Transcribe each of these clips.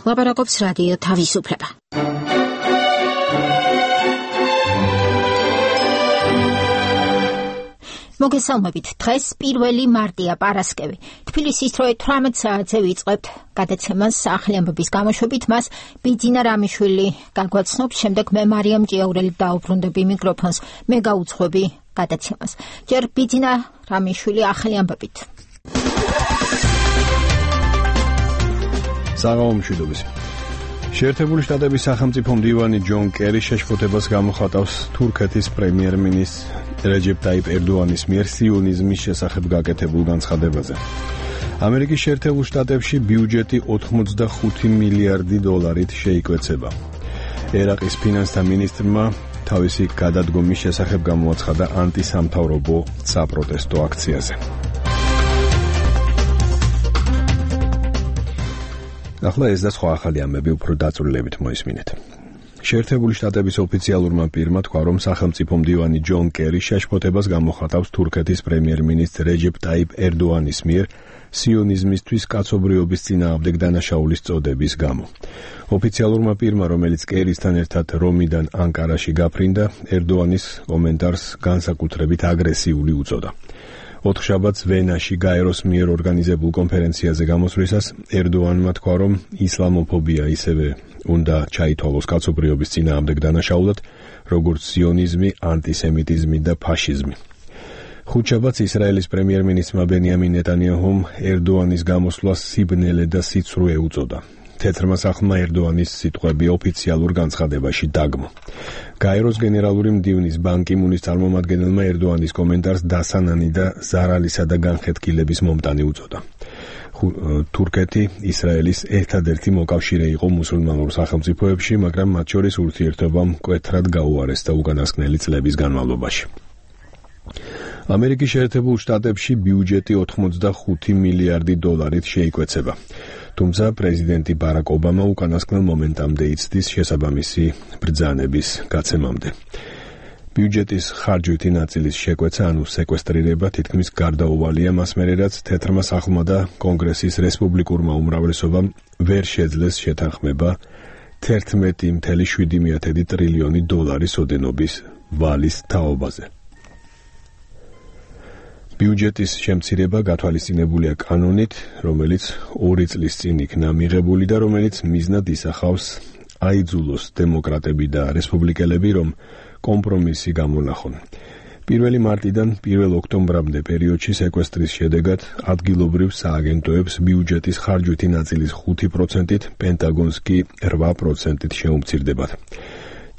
ლაპარაკობს რადიო თავისუფლება. მოგესალმებით, დღეს 1 მარტია პარასკევი. თბილისის დროით 18 საათზე ვიწყებთ გადაცემას ახალი ამბების გამოშვებით. მას ბიძინა რამიშვილი გაგვაცნობს, შემდეგ მე მარიამ ჭიაურელი დაუბრუნდები მიკროფონს, მე გაუძღვები გადაცემას. ჯერ ბიძინა რამიშვილი ახალი ამბებით. საღამომშვიდობის. შეერთებული შტატების სახელმწიფო მდივანი ჯონ კერი შეშფოთებას გამოხატავს თურქეთის პრემიერ-მინისტრ რეჯეპ ტაიპ ერდოანის მიერ სიონიზმის შესახებ გაკეთებულ განცხადებაზე. ამერიკის შეერთებულ შტატებში ბიუჯეტი 85 მილიარდი დოლარით შეიკვეცება. ერაყის ფინანსთა მინისტრმა თავისი გადადგომის შესახებ გამოაცხადა ანტისამთავრობო საპროტესტო აქციაზე. ახლა ეს და სხვა ახალი ამბები უფრო დაწვრილებით მოისმინეთ. შეერთებული შტატების ოფიციალურმა პირმა თქვა, რომ სახელმწიფო მდივანი ჯონ კერი შეშფოთებას გამოხატავს თურქეთის პრემიერ-მინისტრ რეჯეპ ტაიპ ერდოანის მიერ სიონიზმისთვის კაცობრიობის წინააღმდეგ დანაშაულის წოდების გამო. ოფიციალურმა პირმა, რომელიც კერისთან ერთად რომიდან ანკარაში გაფრინდა, ერდოანის კომენტარს განსაკუთრებით აგრესიული უწოდა. ოთხშაბათს ვენაში გაეროს მიერ ორგანიზებულ კონფერენციაზე გამოსვლისას ერდოანმა თქვა, რომ ისლამოფობია ისევე უნდა ჩაითვალოს კაცობრიობის წინააღმდეგ დანაშაულად, როგორც სიონიზმი, ანტისემიტიზმი და ფაშიზმი. ხუთშაბათს ისრაელის პრემიერ-მინისტრმა ბენიამინ ნეტანიაჰუმ ერდოანის გამოსვლას სიბნელე და სიცრუე უწოდა. თეთრმა სახლმა ერდოანის სიტყვები ოფიციალურ განცხადებაში დაგმო. გაეროს გენერალური მდივნის ბან კი მუნის წარმომადგენელმა ერდოანის კომენტარს დასანანი და ზარალისა და განხეთქილების მომტანი უწოდა. თურქეთი ისრაელის ერთადერთი მოკავშირე იყო მუსულმანურ სახელმწიფოებში, მაგრამ მათ შორის ურთიერთობა მკვეთრად გაუარესდა უკანასკნელი წლების განმავლობაში. ამერიკის შეერთებულ შტატებში ბიუჯეტი 85 მილიარდი დოლარით შეიკვეცება. თუმცა პრეზიდენტი ბარაკ ობამა უკანასკნელ მომენტამდე იცდის შესაბამისი ბრძანების გაცემამდე. ბიუჯეტის ხარჯვითი ნაწილის შეკვეცა, ანუ სეკვესტრირება, თითქმის გარდაუვალია მას მერე, რაც თეთრმა სახლმა და კონგრესის რესპუბლიკურმა უმრავლესობამ ვერ შეძლეს შეთანხმება 11.7 ტრილიონი დოლარის ოდენობის ვალის თაობაზე. ბიუჯეტის შემცირება გათვალისწინებულია კანონით, რომელიც 2 წლის წინ იქნა მიღებული და რომელიც მიზნად ისახავს აიძულოს დემოკრატები და რესპუბლიკელები, რომ კომპრომისი გამონახონ. 1 მარტიდან 1 ოქტომბრამდე პერიოდში სეკვესტრის შედეგად ადგილობრივ სააგენტოებს ბიუჯეტის ხარჯვითი ნაწილის 5%-ით, პენტაგონს კი 8%-ით შეუმცირდებათ.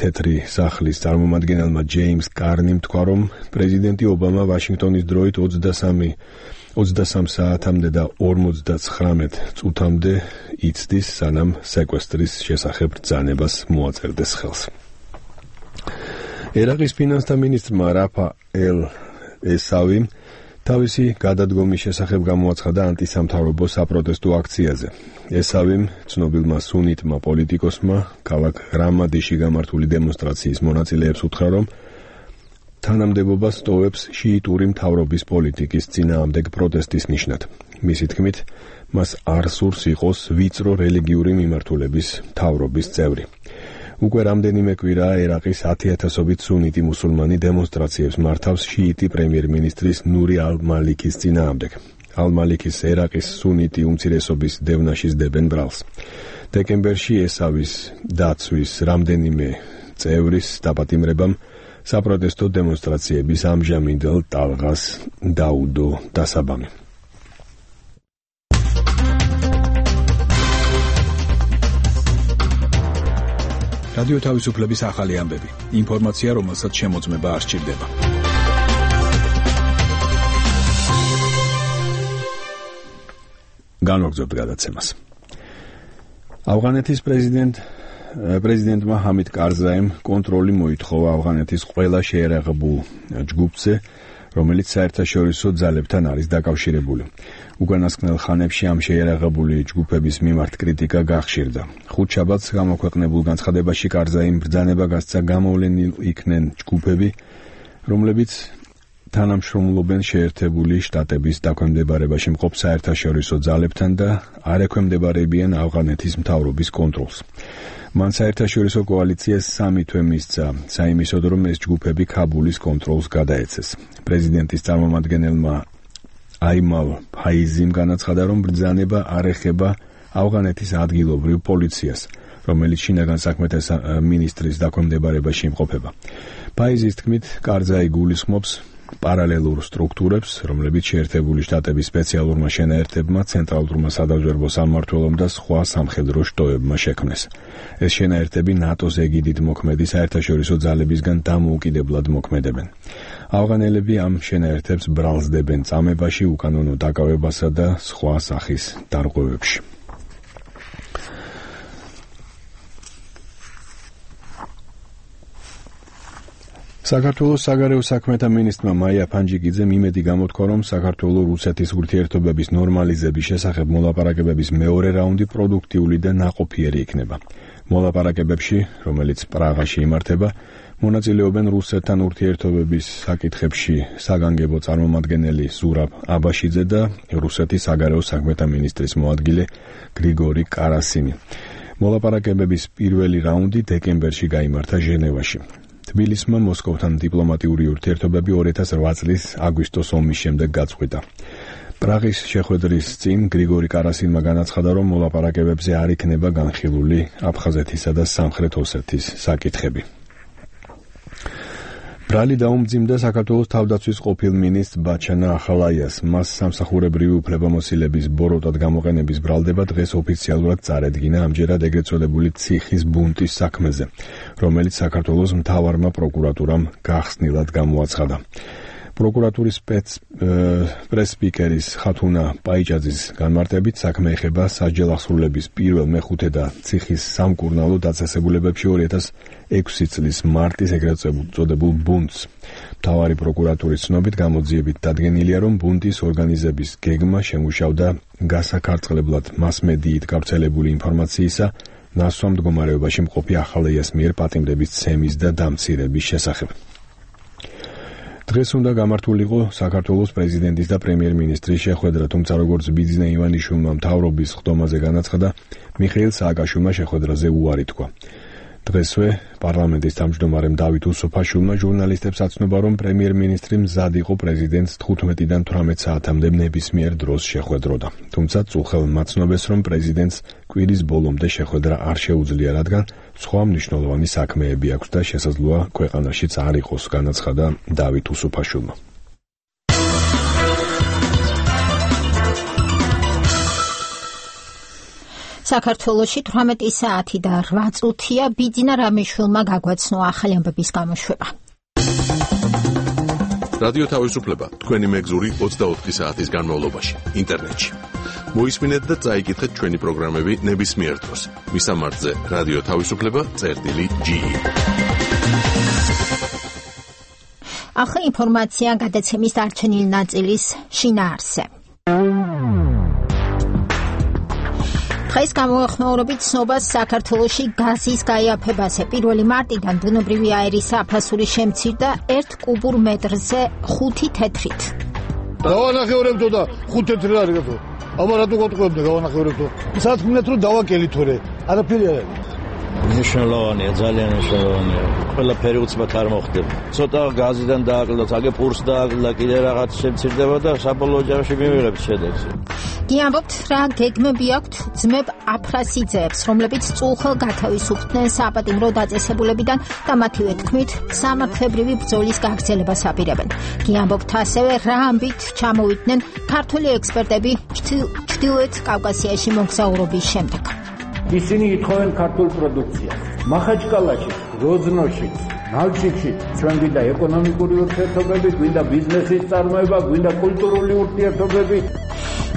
თეთრი სახლის წარმომადგენელმა ჯეიმს კარნიმ თქვა, რომ პრეზიდენტი ობამა ვაშინგტონის დროით 23 საათამდე და 59 წუთამდე იცდის, სანამ სეკვესტრის შესახებ ბრძანებას მოაწერდეს ხელს. ერაყის ფინანსთა მინისტრმა რაფაელ ესავიმ თავისი გადადგომის შესახებ გამოაცხადა ანტისამთავრობო საპროტესტო აქციაზე. ესავიმ ცნობილმა სუნიტმა პოლიტიკოსმა ქალაქ რამადიში გამართული დემონსტრაციის მონაწილეებს უთხრა, რომ თანამდებობას ტოვებს შიიტური მთავრობის პოლიტიკის წინააღმდეგ პროტესტის ნიშნად. მისი თქმით, მას არ სურს იყოს ვიწრო რელიგიური მიმართულების მთავრობის წევრი. უკვე რამდენიმე კვირაა ერაყის 10,000-ობით სუნიტი მუსულმანი დემონსტრაციებს მართავს შიიტი პრემიერ-მინისტრის ნური ალ-მალიკის წინააღმდეგ. ალ-მალიკის ერაყის სუნიტი უმცირესობის დევნაშის დებენ ბრალს. დეკემბერში ესავის დაცვის რამდენიმე წევრის დაპატიმრებამ საპროტესტო დემონსტრაციების ამჟამინდელ ტალღას დაუდო დასაბამი. რადიო თავისუფლების ახალი ამბები. ინფორმაცია, რომელსაც შემოწმება არ სჭირდება. განვაგრძობთ გადაცემას. ავღანეთის პრეზიდენტმა ჰამიდ კარზაიმ კონტროლი მოითხოვა ავღანეთის ყველა შეერაღებულ ჯგუფზე, რომელიც საერთაშორისო ძალებთან არის დაკავშირებული. უკანასკნელ ხანებში ამ შეიარაღებული ჯგუფების მიმართ კრიტიკა გახშირდა. ხუთშაბათს გამოქვეყნებულ განცხადებაში კარზაიმ ბრძანება გასცა გამოვლენილ იქნენ ჯგუფები, რომლებიც თანამშრომლობენ შეერთებული შტატების დაქვემდებარებაში მყოფ საერთაშორისო ძალებთან და არ ექვემდებარებიან ავღანეთის მთავრობის კონტროლს. მან საერთაშორისო კოალიციას 3 თვე მისცა საიმისოდ, რომ ეს ჯგუფები ქაბულის კონტროლს გადაეცეს. პრეზიდენტის წარმომადგენელმა აიმალ ფაიზიმ განაცხადა, რომ ბრძანება არ ეხება ავღანეთის ადგილობრივ პოლიციას, რომელიც შინაგან საქმეთა მინისტრის დაქვემდებარებაში იმყოფება. ფაიზის თქმით, კარზაი გულისხმობს პარალელურ სტრუქტურებს, რომლებიც შეერთებული შტატების სპეციალურმა შენაერთებმა, ცენტრალურმა სადაზვერვო სამმართველომ და სხვა სამხედრო შტოებმა შექმნეს. ეს შენაერთები ნატოს ეგიდით მოქმედი საერთაშორისო ძალებისგან დამოუკიდებლად მოქმედებენ. ავღანელები ამ შენაერთებს ბრალსდებენ წამებაში, უკანონო დაკავებასა და სხვა სახის დარღვევებში. საქართველოს საგარეო საქმეთა მინისტრმა მაია ფანჯიკიძემ იმედი გამოთქვა, რომ საქართველო-რუსეთის ურთიერთობების ნორმალიზების შესახებ მოლაპარაკებების მეორე რაუნდი პროდუქტიული და ნაყოფიერი იქნება. მოლაპარაკებებში, რომელიც პრაღაში იმართება, მონაწილეობენ რუსეთთან ურთიერთობების საკითხებში საგანგებო წარმომადგენელი ზურაბ აბაშიძე და რუსეთის საგარეო საქმეთა მინისტრის მოადგილე გრიგორი კარასინი. მოლაპარაკებების პირველი რაუნდი დეკემბერში გაიმართა ჟენევაში. თბილისმა მოსკოვთან დიპლომატიური ურთიერთობები 2008 წლის აგვისტოს ომის შემდეგ გაწყვიტა. პრაღის შეხვედრის წინ გრიგორი კარასინმა განაცხადა, რომ მოლაპარაკებებზე არ იქნება განხილული აფხაზეთისა და სამხრეთ ოსეთის საკითხები. ბრალი დაუმძიმდა საქართველოს თავდაცვის ყოფილ მინისტრ ბაჩანა ახალაიას. მას სამსახურებრივი უფლებამოსილების ბოროტად გამოყენების ბრალდება დღეს ოფიციალურად წარედგინა ამჯერად ეგრეთ წოდებული ციხის ბუნტის საქმეზე, რომელიც საქართველოს მთავარმა პროკურატურამ გახსნილად გამოაცხადა. პროკურატურის პრეს-სპიკერის ხათუნა პაიჭაძის განმარტებით საქმე ეხება სასჯელ ახსრულების პირველ, მეხუთე და ციხის სამკურნალო დაწესებულებებში 2006 წლის მარტის ეგრეთ წოდებულ ბუნტს. მთავარი პროკურატურის ცნობით გამოძიებით დადგენილია, რომ ბუნტის ორგანიზების გეგმა შემუშავდა გასაქარწყლებლად მასმედიით გავრცელებული ინფორმაციისა ნასვამ მდგომარეობაში მყოფი ახალაიას მიერ პატიმრების ცემის და დამცირების შესახებ. დღეს უნდა გამართულიყო საქართველოს პრეზიდენტის და პრემიერ-მინისტრის შეხვედრა, თუმცა როგორც ბიძინა ივანიშვილმა მთავრობის ხდომაზე განაცხადა, მიხეილ სააკაშვილმა შეხვედრაზე უარი თქვა. დღესვე პარლამენტის თავმჯდომარემ დავით უსუფაშვილმა ჟურნალისტებს აცნობა, რომ პრემიერ-მინისტრი მზად იყო პრეზიდენტს 15-დან 18 საათამდე ნებისმიერ დროს შეხვედროდა. თუმცა წუხელმა ცნობს, რომ პრეზიდენტს კვირის ბოლომდე შეხვედრა არ შეუძლია, რადგან სხვა მნიშვნელოვანი საქმეები აქვს და შესაძლოა ქვეყანაშიც არ იყოს, განაცხადა დავით უსუფაშვილმა. საქართველოში 18 საათი და 8 წუთია ბიძინა რამიშვილმა გაგვაცნო ახალი ამბების გამოშვება. რადიო თავისუფლება თქვენი მეგზური 24 საათის განმავლობაში ინტერნეტში. მოისმინეთ და წაიკითხეთ ჩვენი პროგრამები ნებისმიერ დროს. მისამართზე რადიო თავისუფლება.ge. ახალი ინფორმაცია გადაცემის დარჩენილი ნაწილის შინაარსზე. დღეს გამოეხმაურებით ცნობას საქართველოში გაზის გაიაფებაზე. 1 მარტიდან ბუნებრივი აირის აფასური შემცირდა 1 კუბურ მეტრზე 5 თეთრით. დავანახევრებდო და 5 თეთრი არის გეთო. აბა რატო გეტყვებდა გავანახევრებდო. სათქმნეთ რომ დავაკელითორე. არაფერი არ არის. მნიშვნელოვანია, ძალიან მნიშვნელოვანია. ყველაფერი უცბად არ მოხდება. ცოტა გაზიდან დააკლდა, აგე პურს დააკლდა, კიდე რაღაც შემცირდება და საბოლოო ჯამში მივიღებთ შედეგს. გიამბობთ, რა გეგმები აქვთ ძმებ აფრასიძეებს, რომლებიც წუხელ გათავისუფლდნენ საპატიმრო დაწესებულებიდან და მათივე თქმით სამართლებრივი ბრძოლის გაგრძელებას აპირებენ. გიამბობთ ასევე, რა ამბით ჩამოვიდნენ ქართული ექსპერტები ჩრდილოეთ კავკასიაში მოგზაურობის შემდეგ. ისინი ითხოვენ ქართულ პროდუქციას. მახაჩკალაში, როზნოში, ნალჩიკში ჩვენ გვინდა ეკონომიკური ურთიერთობები, გვინდა ბიზნესის წარმოება, გვინდა კულტურული ურთიერთობები.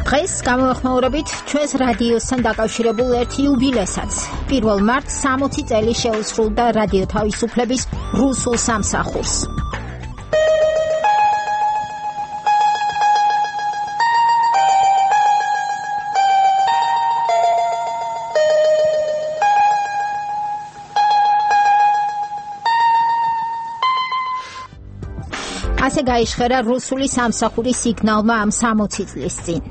დღეს გამოეხმაურებით ჩვენს რადიოსთან დაკავშირებულ ერთ იუბილესაც. 1 მარტს 60 წელი შეუსრულდა რადიო თავისუფლების რუსულ სამსახურს. ასე გაიშხერა რუსული სამსახურის სიგნალმა ამ 60 წლის წინ.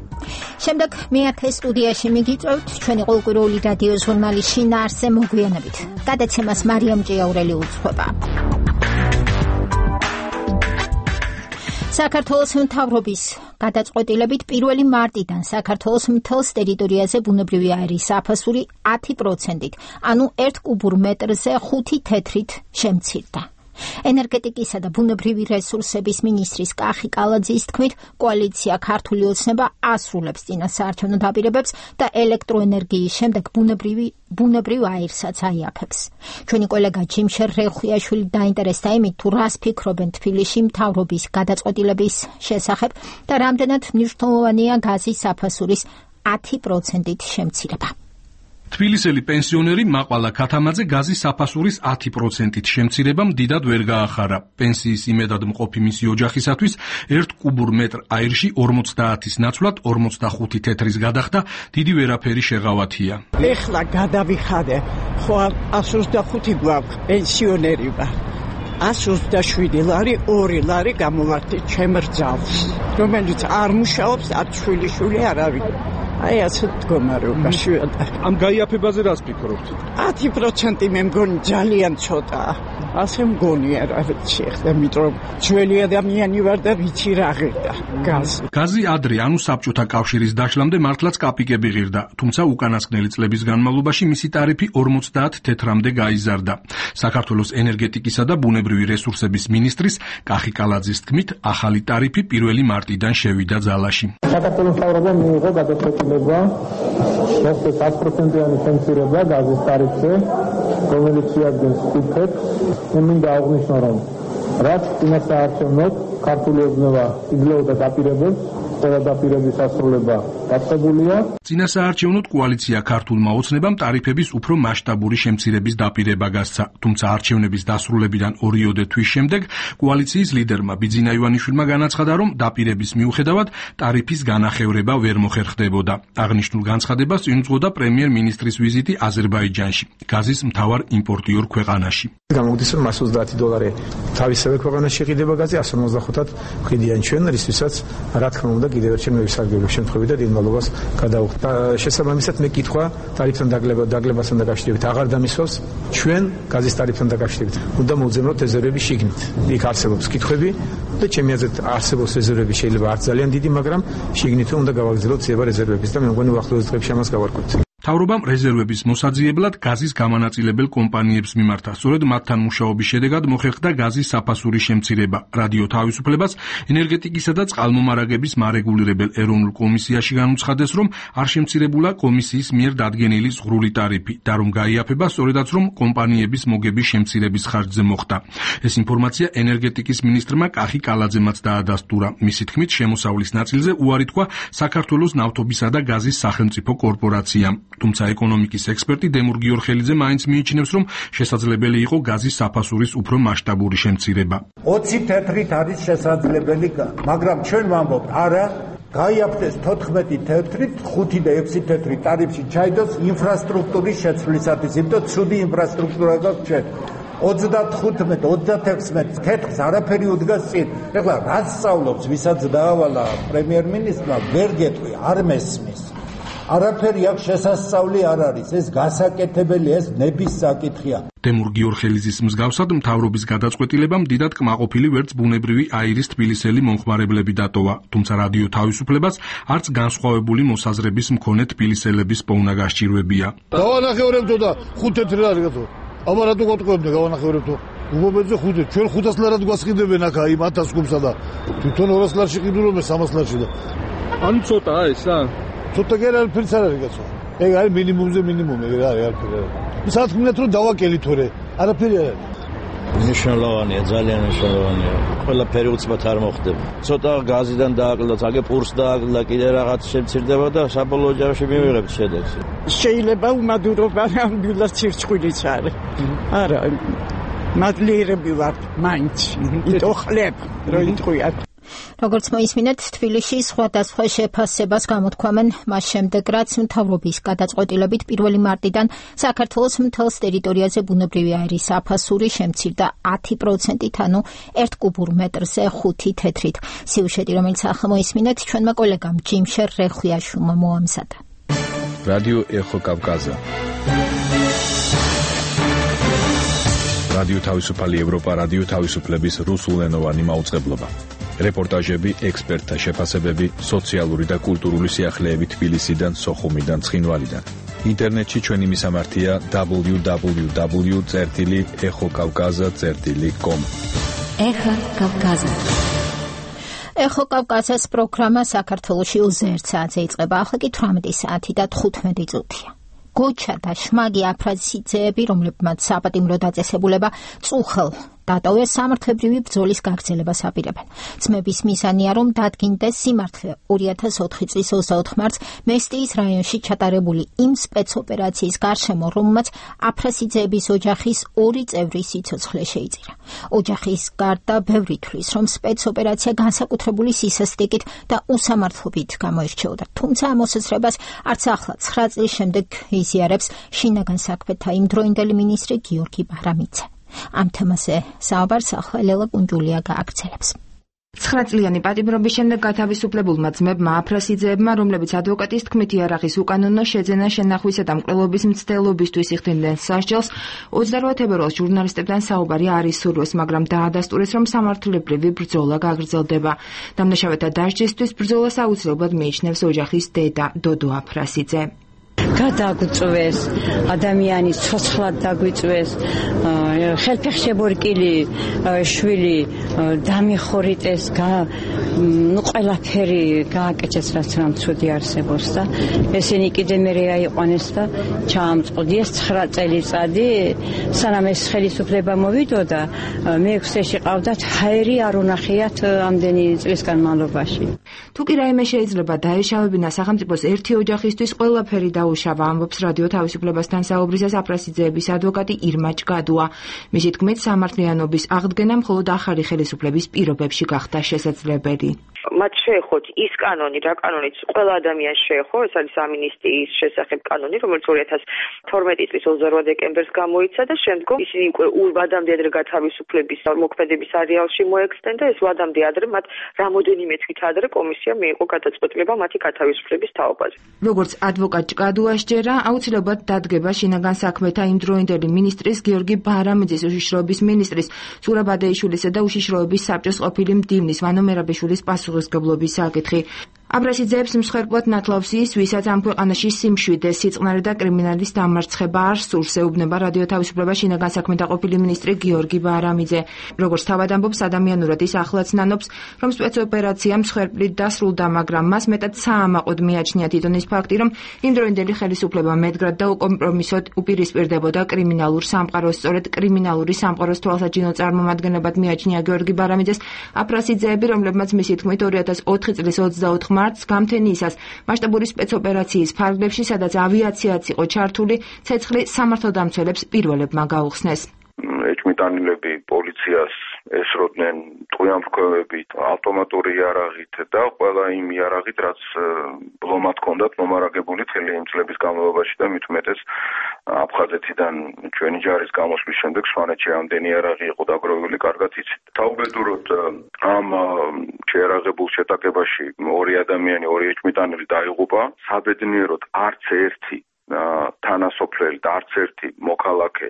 შემდეგ მეათე სტუდიაში მიგიწევთ ჩვენი ყოველკვირეული რადიო ჟურნალი შინაარსზე მოგვიანებით. გადაცემას მარიამ ჭიაურელი უძღვება. საქართველოს მთავრობის გადაწყვეტილებით 1 მარტიდან საქართველოს მთელს ტერიტორიაზე ბუნებრივი აირის საფასური 10%-ით, ანუ 1 კუბურ მეტრზე 5 თეთრით შემცირდა. ენერგეტიკისა და ბუნებრივი რესურსების მინისტრის კახი კალაძის თქმით, კოალიცია ქართული ოცნება ასრულებს წინასაარჩევნო დაპირებებს და ელექტროენერგიის შემდეგ ბუნებრივ აირსაც აიაფებს. ჩვენი კოლეგა ჯიმშერ რეხუიაშვილი დაინტერესდა იმით, თუ რას ფიქრობენ თბილისში მთავრობის გადაწყვეტილების შესახებ და რამდენად მნიშვნელოვანია გაზის საფასურის 10%-ით შემცირება. თბილისელი პენსიონერი მაყვალა ქათამაძე გაზის საფასურის 10%-ით შემცირებამ დიდად ვერ გაახარა. პენსიის იმედად მყოფი მისი ოჯახისათვის 1 კუბურ მეტრ აირში 50-ის ნაცვლად 45 თეთრის გადახდა დიდი ვერაფერი შეღავათია. ეხლა გადავიხადე, ხო 125 გვაქვს პენსიონერი ვარ. 127 ლარი 2 ლარი გამოვარდი ჩემ რძალს, რომელიც არ მუშაობს, არ შვილიშვილი არ არის. აი ასე მდგომარეობაში ვარ. ამ გაიაფებაზე რას ფიქრობთ? 10% მე მგონი ძალიან ცოტაა. ასე მგონია რა ვიცი, ახლა მეტყვი ძველი ადამიანი ვარ და ვიცი რა ღირდა გაზი. გაზი ადრე, ანუ საბჭოთა კავშირის დაშლამდე მართლაც კაპიკები ღირდა, თუმცა უკანასკნელი წლების განმავლობაში მისი ტარიფი 50 თეთრამდე გაიზარდა. საქართველოს ენერგეტიკისა და ბუნებრივი რესურსების მინისტრის კახი კალაძის თქმით, ახალი ტარიფი 1 მარტიდან შევიდა ძალაში. საქართველოს მთავრობამ მიიღო გადაწყვეტილება მოხდეს 10%-იანი შემცირება გაზის ტარიფზე, რომელიც შეადგენს 5 თეთრს. მინდა აღნიშნო, რომ რაც წინასაარჩევნოდ ქართული ოცნება იძლეოდა დაპირებებს, ყველა დაპირების ასრულება დაწყებულია. წინასაარჩევნოდ კოალიცია ქართულმა ოცნებამ ტარიფების უფრო მასშტაბური შემცირების დაპირება გასცა, თუმცა არჩევნების დასრულებიდან 2 თვის შემდეგ კოალიციის ლიდერმა ბიძინა ივანიშვილმა განაცხადა, რომ დაპირების მიუხედავად ტარიფის განახევრება ვერ მოხერხდებოდა. აღნიშნულ განცხადებას წინ უძღოდა პრემიერ-მინისტრის ვიზიტი აზერბაიჯანში, გაზის მთავარ იმპორტიორ ქვეყანაში. გამოგდის, რომ $130 თავისივე ქვეყანაში იყიდება გაზი, 155-ად ვყიდიან ჩვენ, რისთვისაც რა თქმა უნდა კიდევ ერთხელ მე ვისარგებლებ შემთხვევით და დინმალობას გადავხდა. შესაბამისად მე კითხვა ტარიფთან დაგლებასთან დაკავშირებით აღარ დამისვავს. ჩვენ გაზის ტარიფთან დაკავშირებით უნდა მოვძებნოთ რეზერვები შიგნით. იქ არსებობს კითხვები და ჩემი აზრით არსებობს რეზერვები, შეიძლება არ ძალიან დიდი, მაგრამ შიგნით უნდა გავაგრძელოთ ძიება რეზერვების და მე მგონი უახლოეს დღეებში ამას გავარკვევთ. მთავრობამ რეზერვების მოსაძიებლად გაზის გამანაწილებელ კომპანიებს მიმართა. სწორედ მათთან მუშაობის შედეგად მოხერხდა გაზის საფასურის შემცირება. რადიო თავისუფლებას ენერგეტიკისა და წყალმომარაგების მარეგულირებელ ეროვნულ კომისიაში განუცხადეს, რომ არ შემცირებულა კომისიის მიერ დადგენილი ზღვრული ტარიფი და რომ გაიაფება სწორედაც რომ კომპანიების მოგების შემცირების ხარჯზე მოხდა. ეს ინფორმაცია ენერგეტიკის მინისტრმა კახი კალაძემაც დაადასტურა. მისი თქმით, შემოსავლის ნაწილზე უარი თქვა საქართველოს ნავთობისა და გაზის სახელმწიფო კორპორაციამ. თუმცა ეკონომიკის ექსპერტი დემურ გიორხელიძე მაინც მიიჩნევს, რომ შესაძლებელი იყო გაზის საფასურის უფრო მასშტაბური შემცირება. 20 თეთრით არის შესაძლებელი, მაგრამ ჩვენ ვამბობთ, არა, გაიაფრეს 14 თეთრით, 5 და 6 თეთრი ტარიფში ჩაიდოს ინფრასტრუქტურის შეცვლისათვის, იმიტომ ცუდი ინფრასტრუქტურა გაქვს ჩვენ. 35-36 თეთრს არაფერი უდგას წინ. ეხლა რაც სწავლობს, ვისაც დაავალა პრემიერ-მინისტრმა, ვერ გეტყვი, არ მესმის. არაფერი აქ შესასწავლი არ არის, ეს გასაკეთებელი, ეს ნების საკითხია. დემურ გიორხელიძის მსგავსად მთავრობის გადაწყვეტილებამ დიდად კმაყოფილი ვერც ბუნებრივი აირის თბილისელი მომხმარებლები დატოვა, თუმცა რადიო თავისუფლებას არც განსხვავებული მოსაზრების მქონე თბილისელების პოვნა გასჭირვებია. გავანახევრებდო და 5 თეთრი რა რიგათო. აბა რატო გეტყვებდე გავანახევრებდო. უგობეძე 5, ჩვენ 500 ლარად გვასყიდებენ აქ აი 1000 კუბსა და თვითონ 200 ლარში ყიდულობ მე 300 ლარში და ანუ ცოტაა ეს რა? ცოტა კი არ არის რა რიგაცო. ეგ არის მინიმუმზე მინიმუმი რა არის არაფერი. სათქმნეთ რომ დავაკელით თორე არაფერი არ არის. მნიშვნელოვანია, ძალიან მნიშვნელოვანია. ყველაფერი უცბად არ მოხდება. ცოტა გაზიდან დააკლდა, აგე პურს დააკლდა, კიდე რაღაც შემცირდება და საბოლოო ჯამში მივიღებთ შედეგს. შეიძლება უმადურობა ნამდვილად სირცხვილიც არის. არა, მადლიერები ვართ მაინც. იტო ხლებ, რომ იტყვიათ. როგორც მოისმინეთ, თბილისში სხვადასხვა შეფასებას გამოთქვამენ მას შემდეგ, რაც მთავრობის გადაწყვეტილებით 1 მარტიდან საქართველოს მთელს ტერიტორიაზე ბუნებრივი აირის საფასური შემცირდა 10%-ით, ანუ 1 კუბურ მეტრზე 5 თეთრით. სიუჟეტი, რომელიც ახლა მოისმინეთ, ჩვენმა კოლეგამ ჯიმშერ რეხვიაშვილმა მოამზადა. რადიო ეხო კავკაზა. რადიო თავისუფალი ევროპა, რადიო თავისუფლების რუსულენოვანი მაუწყებლობა. რეპორტაჟები, ექსპერტთა შეფასებები, სოციალური და კულტურული სიახლეები თბილისიდან, სოხუმიდან, ცხინვალიდან. ინტერნეტში ჩვენი მისამართია www.exokavkaza.com. ეხო კავკაზა. ეხო კავკაზას პროგრამა საქართველოში 21 საათზე იწყება. ახლა კი 18 საათი და 15 წუთია. გოჩა და შმაგი აფრაზიძეები, რომლებმაც საპატიმრო დაწესებულება წუხელ დატოვეს, სამართლებრივი ბრძოლის გაგრძელებას აპირებენ. ძმების მიზანია, რომ დადგინდეს სიმართლე 2004 წლის 24 მარტს მესტიის რაიონში ჩატარებული იმ სპეცოპერაციის გარშემო, რომელმაც აფრაზიძეების ოჯახის 2 წევრი სიცოცხლე შეიწირა. ოჯახის გარდა ბევრი თვლის, რომ სპეცოპერაცია განსაკუთრებული სისასტიკით და უსამართლობით გამოირჩეოდა. თუმცა ამ მოსაზრებას არც ახლა 9 წლის შემდეგ იზიარებს შინაგან საქმეთა იმდროინდელი მინისტრი გიორგი ბარამიძე. ამ თემაზე საუბარს ახლა ლელა კუნჯულია გააგრძელებს. 9 წლიანი პატიმრობის შემდეგ გათავისუფლებულმა ძმებმა აფრაზიძეებმა, რომლებიც ადვოკატის თქმით იარაღის უკანონო შეძენა, შენახვისა და მკვლელობის მცდელობისთვის იხდიდნენ სასჯელს, 28 თებერვალს ჟურნალისტებთან საუბარი არ ისურვეს, მაგრამ დაადასტურეს, რომ სამართლებრივი ბრძოლა გაგრძელდება. დამნაშავეთა დასჯისთვის ბრძოლას აუცილებლად მიიჩნევს ოჯახის დედა დოდო აფრაზიძე. გადაგვწვეს, ადამიანის ცოცხლად დაგვიწვეს, ხელფეხშებორკილი შვილი დამიხორიტეს, ყველაფერი გააკეცეს, რაც რამ ცუდი არსებობს და ესენი კიდე მერე აიყვანეს და ჩაამწყდიეს 9 წელიწადი, სანამ ეს ხელისუფლება მოვიდოდა, მე-6-ში ყავდათ ჰაერი არ უნახიათ ამდენი წლის განმავლობაში. თუ კი რაიმე შეიძლება დაეშავებინა სახელმწიფოს ერთი ოჯახისთვის, ყველაფერი დაუშავა, ამბობს რადიო თავისუფლებასთან საუბრისას აფრაზიძეების ადვოკატი ირმა ჭგადუა. მისი თქმით, სამართლიანობის აღდგენა მხოლოდ ახალი ხელისუფლების პირობებში გახდა შესაძლებელი. მათ შეეხოთ ის კანონი, რა კანონიც ყველა ადამიანს შეეხო, ეს არის ამინისტიის შესახებ კანონი, რომელიც 2012 წლის 28 დეკემბერს გამოიცა და შემდგომ ისინი უკვე ვადამდე ადრე გათავისუფლების მოქმედების არეალში მოექსტენდა, ეს ვადამდე ადრე მათ რამოდენიმე თვით ადრე კომისია მიიღო გადაწყვეტილება მათი გათავისუფლების თაობაზე. როგორც ადვოკატ ჭგადუას ჯერა, აუცილებლად დადგება შინაგან საქმეთა იმდროინდელი მინისტრის გიორგი ბარამიძის, უშიშროების მინისტრის ზურაბ ადეიშვილისა და უშიშროების საბჭოს ყოფილი მდივნის ვანო მერაბიშვილის პასუხისმგებლობის საკითხი. აფრაზიძეებს მსხვერპლად ნათლავს ის, ვისაც ამ ქვეყანაში სიმშვიდე, სიწყნარე და კრიმინალის დამარცხება არ სურს, ეუბნება რადიო თავისუფლება შინაგან საქმეთა ყოფილი მინისტრი გიორგი ბარამიძე. როგორც თავად ამბობს, ადამიანურად ის ახლაც ნანობს, რომ სპეცოპერაცია მსხვერპლით დასრულდა, მაგრამ მას მეტად საამაყოდ მიაჩნია თვითონ ის ფაქტი, რომ იმდროინდელი ხელისუფლება მედგრად და უკომპრომისოდ უპირისპირდებოდა კრიმინალურ სამყაროს. სწორედ კრიმინალური სამყაროს თვალსაჩინო წარმომადგენლებად მიაჩნია გიორგი ბარამიძეს აფრაზიძეები, რომლებმაც მისი თქმით 2004 წლის 24 მარტს გამთენიისას მასშტაბური სპეცოპერაციის ფარგლებში, სადაც ავიაციაც იყო ჩართული, ცეცხლი სამართალდამცველებს პირველებმა გაუხსნეს. ეჭვმიტანილები პოლიციას ესროდნენ ტყვიამფრქვევებით, ავტომატური იარაღით და ყველა იმ იარაღით, რაც ბლომად ჰქონდათ მომარაგებული მთელი იმ წლების განმავლობაში და მით უმეტეს აფხაზეთიდან ჩვენი ჯარის გამოსვლის შემდეგ სვანეთში ამდენი იარაღი იყო დაგროვებული, კარგად იცით. თავბედურად ამ შეიარაღებულ შეტაკებაში 2 ადამიანი, 2 ეჭვმიტანილი დაიღუპა. საბედნიეროდ არც ერთი თანასოფლელი და არც ერთი მოქალაქე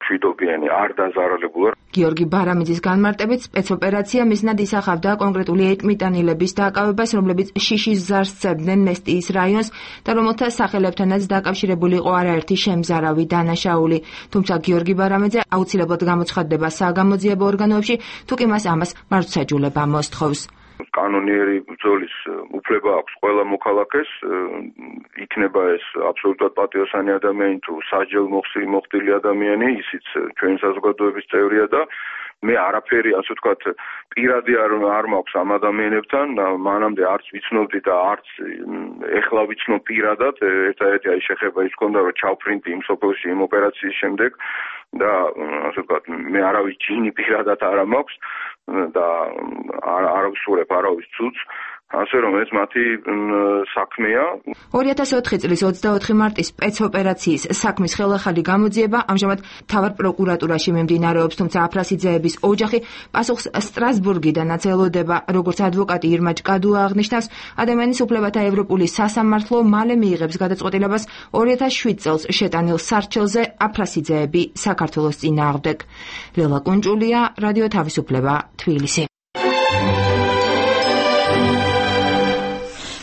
მშვიდობიანი არ დაზარალებულა. გიორგი ბარამიძის განმარტებით, სპეცოპერაცია მიზნად ისახავდა კონკრეტული ეტმიტანილების დაკავებას, რომლებიც შიშის ზარს სცემდნენ მესტიის რაიონს და რომელთა სახელებთანაც დაკავშირებული იყო არაერთი შემზარავი დანაშაული. თუმცა გიორგი ბარამიძე აუცილებლად გამოცხადდება საგამოძიებო ორგანოებში, თუ კი მას ამას მართლმსაჯულება მოსთხოვს. კანონიერი ბრძოლის უფლება აქვს ყველა მოქალაქეს, იქნება ეს აბსოლუტურად პატიოსანი ადამიანი თუ სასჯელ მოხდილი ადამიანი, ისიც ჩვენი საზოგადოების წევრია და მე არაფერი, ასე ვთქვათ, პირადი არ მაქვს ამ ადამიანებთან, მანამდე არც ვიცნობდი და არც ეხლა ვიცნობ პირადად, ერთადერთი აი შეხება ის ქონდა, რომ ჩავფრინდი იმ სოფელში იმ ოპერაციის შემდეგ და ასე ვთქვათ, მე არავის ჯინი პირადად არ მაქვს. და არ აგვსურებ არავის ცუდს, ასე რომ ეს მათი საქმეა. 2004 წლის 24 მარტის სპეცოპერაციის საქმის ხელახალი გამოძიება ამჟამად მთავარ პროკურატურაში მიმდინარეობს, თუმცა აფრასიძეების ოჯახი პასუხს სტრასბურგიდანაც ელოდება. როგორც ადვოკატი ირმა ჭკადუა აღნიშნავს, ადამიანის უფლებათა ევროპული სასამართლო მალე მიიღებს გადაწყვეტილებას 2007 წელს შეტანილ სარჩელზე აფრასიძეები საქართველოს წინააღმდეგ. ლელა კუნჭულია, რადიო თავისუფლება, თბილისი.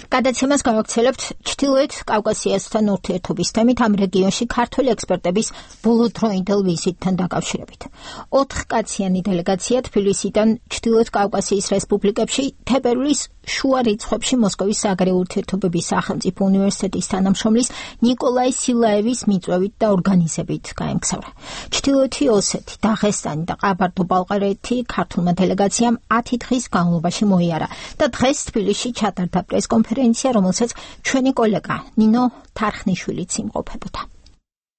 გადაცემას გავაქცელებთ ჩრდილოეთ კავკასიასთან ურთიერთობის თემით ამ რეგიონში ქართული ექსპერტების ბოლოდროინდელ ვიზიტთან დაკავშირებით. 4 კაციანი დელეგაცია თბილისიდან ჩრდილოეთ კავკასიის რესპუბლიკებში თებერვლის შუა რიცხვებში მოსკოვის საგარეო ურთიერთობების სახელმწიფო უნივერსიტეტის თანამშრომლის ნიკოლაი სილაევის მიწვევით და ორგანიზებით გაემგზავრა. ჩრდილოეთი ოსეთი, დაღესტანი და ყაბარდო-ბალყარეთი ქართულმა დელეგაციამ 10 დღის განმავლობაში მოიარა და დღეს თბილისში ჩატარდა პრესკონფერენცია, რომელსაც ჩვენი კოლეგა ნინო თარხნიშვილიც იმყოფებოდა.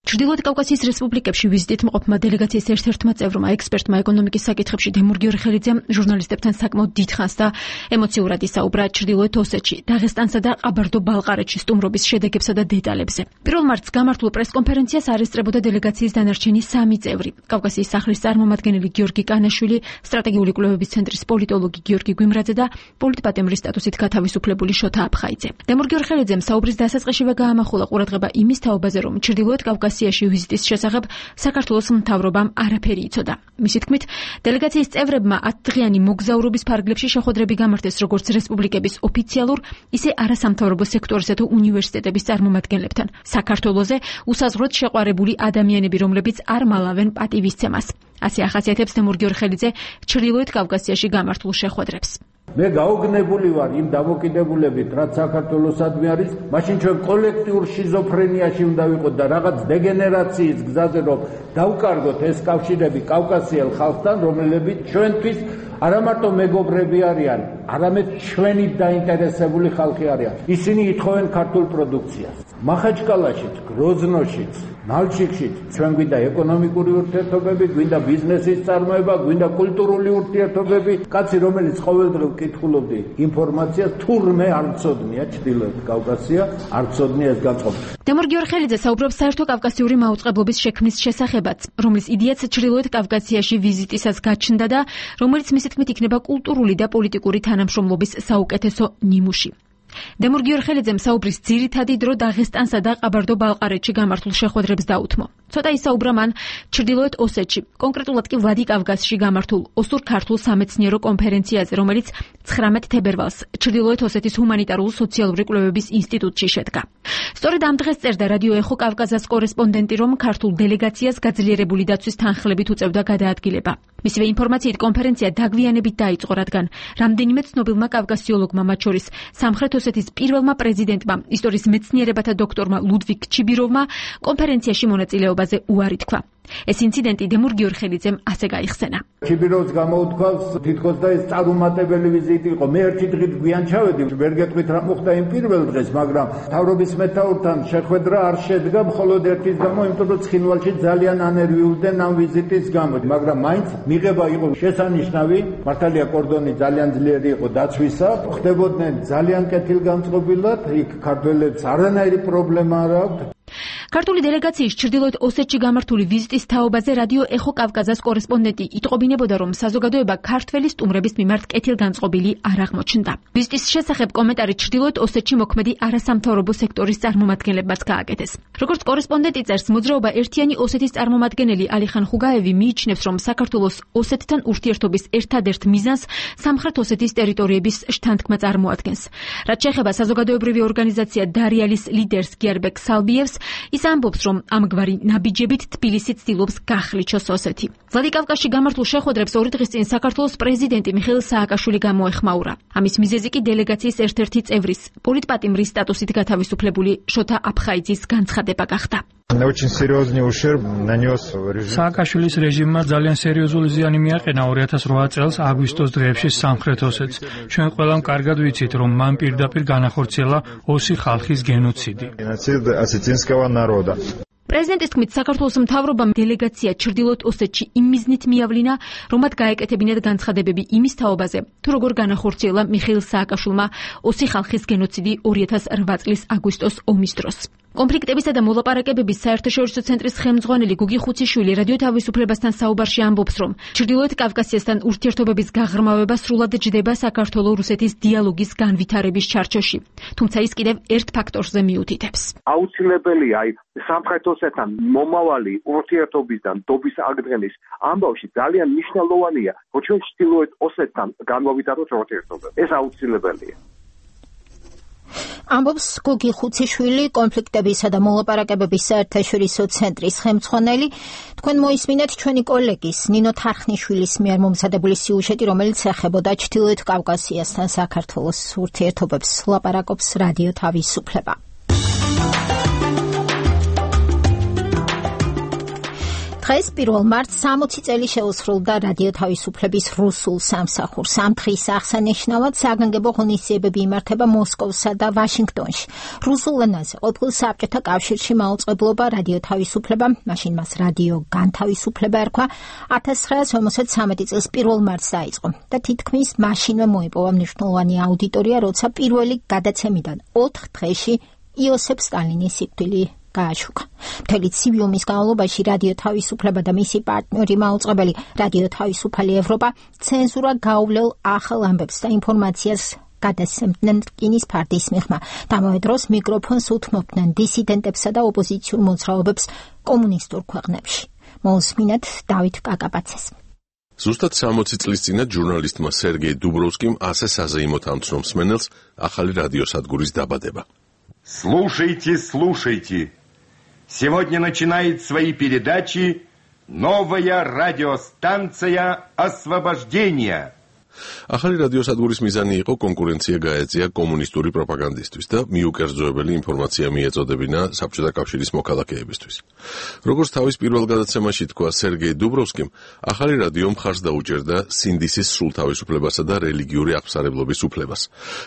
ჩრდილოეთ კავკასიის რესპუბლიკებში ვიზიტით მყოფმა დელეგაციის ერთ-ერთმა წევრმა ექსპერტმა ეკონომიკის საკითხებში დემურ გიორხელიძემ ჟურნალისტებთან საკმაოდ დიდხანს და ემოციურად ისაუბრა ჩრდილოეთ ოსეთში, დაღესტანსა და ყაბარდო-ბალყარეთში სტუმრობის შედეგებსა და დეტალებზე. 1 მარტს გამართულ პრესკონფერენციას არ ესწრებოდა დელეგაციის დანარჩენი 3 წევრი. კავკასიის სახლის წარმომადგენელი გიორგი კანაშვილი, სტრატეგიული კვლევების ცენტრის პოლიტოლოგი გიორგი გვიმრაძე და პოლიტპატიმრის სტატუსით გათავისუფლებული შოთა აფხაიძე. დემურ გიორხელიძემ საუბრის დასაწყისშივე გაამახვილა ყურადღება იმის თაობაზე, რომ ჩრდილოეთ კავკასიის ვიზიტის შესახებ საქართველოს მთავრობამ არაფერი იცოდა. მისი თქმით, დელეგაციის წევრებმა 10 დღიანი მოგზაურობის ფარგლებში შეხვედრები გამართეს როგორც რესპუბლიკების ოფიციალურ, ისე არასამთავრობო სექტორისა თუ უნივერსიტეტების წარმომადგენლებთან. საქართველოზე უსაზღვროდ შეყვარებული ადამიანები, რომლებიც არ მალავენ პატივისცემას. ასე ახასიათებს დემურ გიორხელიძე ჩრდილოეთ კავკასიაში გამართულ შეხვედრებს. მე გაოგნებული ვარ იმ დამოკიდებულებით, რაც საქართველოსადმი არის, მაშინ ჩვენ კოლექტიურ შიზოფრენიაში უნდა ვიყოთ და რაღაც დეგენერაციის გზაზე რომ დავკარგოთ ეს კავშირები კავკასიელ ხალხთან, რომლებიც ჩვენთვის არა მარტო მეგობრები არიან, არამედ ჩვენი დაინტერესებული ხალხი არიან. ისინი ითხოვენ ქართულ პროდუქციას. მახაჩკალაშიც, გროზნოშიც, ნალჩიკშიც ჩვენ გვინდა ეკონომიკური ურთიერთობები, გვინდა ბიზნესის წარმოება, გვინდა კულტურული ურთიერთობები. კაცი, რომელიც ყოველდღე ვკითხულობდი ინფორმაციას, თურმე არ მცოდნია ჩრდილოეთ კავკასია, არ მცოდნია ეს განწყობა. დემურ გიორხელიძე საუბრობს საერთო კავკასიური მაუწყებლობის შექმნის შესახებაც, რომლის იდეაც ჩრდილოეთ კავკასიაში ვიზიტისას გაჩნდა და რომელიც მისი თქმით იქნება კულტურული და პოლიტიკური თანამშრომლობის საუკეთესო ნიმუში. დემურ გიორხელიძემ საუბრის ძირითადი დრო დაღესტანსა და ყაბარდო-ბალყარეთში გამართულ შეხვედრებს დაუთმო. ცოტა ისაუბრა მან ჩრდილოეთ ოსეთში, კონკრეტულად კი ვლადიკავკაზში გამართულ ოსურ-ქართულ სამეცნიერო კონფერენციაზე, რომელიც 19 თებერვალს ჩრდილოეთ ოსეთის ჰუმანიტარულ სოციალური კვლევების ინსტიტუტში შედგა. სწორედ ამ დღეს წერდა რადიო ეხო კავკაზას კორესპონდენტი, რომ ქართულ დელეგაციას გაძლიერებული დაცვის თანხლებით უწევდა გადაადგილება. მისივე ინფორმაციით კონფერენცია დაგვიანებით დაიწყო, რადგან რამდენიმე ცნობილმა კავკასიოლოგმა, მათ შორის სამხრეთ ოსეთის პირველმა პრეზიდენტმა, ისტორიის მეცნიერებათა დოქტორმა ლუდვიგ ჩიბიროვმა კონფერენციაში მონაწილეობაზე უარი თქვა. ეს ინციდენტი დემურ გიორხელიძემ ასე გაიხსენა. ჩიბიროვს გამოუთქვავს თითქოს და ეს წარუმატებელი ვიზიტი იყო. მე ერთი დღით გვიან ჩავედი, ვერ გეტყვით რა მოხდა იმ პირველ დღეს, მაგრამ მთავრობის მეთაურთან შეხვედრა არ შედგა მხოლოდ ერთის გამო, იმიტომ რომ ცხინვალში ძალიან ანერვიულდნენ ამ ვიზიტის გამო, მაგრამ მაინც მიღება იყო შესანიშნავი. მართალია კორდონი ძალიან ძლიერი იყო დაცვისა, ხდებოდნენ ძალიან კეთილგანწყობილად, იქ ქართველებს არანაირი პრობლემა არ აქვთ. ქართული დელეგაციის ჩრდილოეთ ოსეთში გამართული ვიზიტის თაობაზე რადიო ეხო კავკაზას კორესპონდენტი იტყობინებოდა, რომ საზოგადოება ქართველი სტუმრების მიმართ კეთილგანწყობილი არ აღმოჩნდა. ვიზიტის შესახებ კომენტარი ჩრდილოეთ ოსეთში მოქმედი არასამთავრობო სექტორის წარმომადგენლებმაც გააკეთეს. როგორც კორესპონდენტი წერს, მოძრაობა ერთიანი ოსეთის წარმომადგენელი ალიხან ხუგაევი მიიჩნევს, რომ საქართველოს ოსეთთან ურთიერთობის ერთადერთ მიზანს სამხრეთ ოსეთის ტერიტორიების შთანთქმა წარმოადგენს. რაც შეეხება საზოგადოებრივი ორგანიზაცია დარიალის ლიდერს გიარბეკ სალბიევს, ის ამბობს, რომ ამგვარი ნაბიჯებით თბილისი ცდილობს გახლიჩოს ოსეთი. ვლადიკავკაზში გამართულ შეხვედრებს 2 დღის წინ საქართველოს პრეზიდენტი მიხეილ სააკაშვილი გამოეხმაურა. ამის მიზეზი კი დელეგაციის ერთ-ერთი წევრის, პოლიტპატიმრის სტატუსით გათავისუფლებული შოთა აფხაიძის განცხადება გახდა. სააკაშვილის რეჟიმმა ძალიან სერიოზული ზიანი მიაყენა 2008 წელს აგვისტოს დღეებში სამხრეთ ოსეთს. ჩვენ ყველამ კარგად ვიცით, რომ მან პირდაპირ განახორციელა ოსი ხალხის გენოციდი. პრეზიდენტის თქმით, საქართველოს მთავრობამ დელეგაცია ჩრდილოეთ ოსეთში იმ მიზნით მიავლინა, რომ მათ გაეკეთებინათ განცხადებები იმის თაობაზე, თუ როგორ განახორციელა მიხეილ სააკაშვილმა ოსი ხალხის გენოციდი 2008 წლის აგვისტოს ომის დროს. კონფლიქტებისა და მოლაპარაკებების საერთაშორისო ცენტრის ხელმძღვანელი გუგი ხუციშვილი რადიო თავისუფლებასთან საუბარში ამბობს, რომ ჩრდილოეთ კავკასიასთან ურთიერთობების გაღრმავება სრულად ჯდება საქართველო-რუსეთის დიალოგის განვითარების ჩარჩოში. თუმცა ის კიდევ ერთ ფაქტორზე მიუთითებს. აუცილებელია სამხრეთ ოსეთთან მომავალი ურთიერთობის და ნდობის აღდგენის ამბავში ძალიან მნიშვნელოვანია, რომ ჩვენ ჩრდილოეთ ოსეთთან განვავითაროთ ურთიერთობები. ეს აუცილებელია. ამბობს გუგი ხუციშვილი, კონფლიქტებისა და მოლაპარაკებების საერთაშორისო ცენტრის ხელმძღვანელი. თქვენ მოისმინეთ ჩვენი კოლეგის ნინო თარხნიშვილის მიერ მომზადებული სიუჟეტი, რომელიც ეხებოდა ჩრდილოეთ კავკასიასთან საქართველოს ურთიერთობებს. ლაპარაკობს რადიო თავისუფლება. დღეს 1 მარტს 60 წელი შეუსრულდა რადიო თავისუფლების რუსულ სამსახურს. ამ დღის აღსანიშნავად საგანგებო ღონისძიებები იმართება მოსკოვსა და ვაშინგტონში. რუსულ ენაზე ყოფილ საბჭოთა კავშირში მაუწყებლობა რადიო თავისუფლება, მაშინ მას რადიო განთავისუფლება ერქვა, 1953 წლის 1 მარტს დაიწყო და თითქმის მაშინვე მოიპოვა მნიშვნელოვანი აუდიტორია, როცა პირველი გადაცემიდან 4 დღეში იოსებ სტალინის სიკვდილი გააშუქა. მთელი ცივი ომის განმავლობაში რადიო თავისუფლება და მისი პარტნიორი მაუწყებელი რადიო თავისუფალი ევროპა ცენზურა გაუვლელ ახალ ამბებს და ინფორმაციას გადასცემდნენ რკინის ფარდის მიღმა. ამავე დროს მიკროფონს უთმობდნენ დისიდენტებსა და ოპოზიციურ მოძრაობებს კომუნისტურ ქვეყნებში. მოусმინეთ დავით კაკაბაცეს. ზუსტად 60 წლის წინათ ჟურნალისტმა სერგეი დუბროვსკიმ ასე საზეიმოდ ამცნო მსმენელს ახალი რადიოსადგურის დაბადება. Слушайте, слушайте. Сегодня начинает свои передачи новая радиостанция «Освобождение». ახალი რადიოსადგურის მიზანი იყო კონკურენცია გაეწია კომუნისტური პროპაგანდისტვის და მიუკერძოებელი ინფორმაცია მიეწოდებინა საბჭოთა კავშირის მოქალაქეებისთვის. როგორც თავის პირველ გადაცემაში თქვა სერგეი დუბროვსკიმ, ახალი რადიო მხარს დაუჭერდა სინდისის სრულ თავისუფლებასა და რელიგიური აღსარებლობის უფლებას.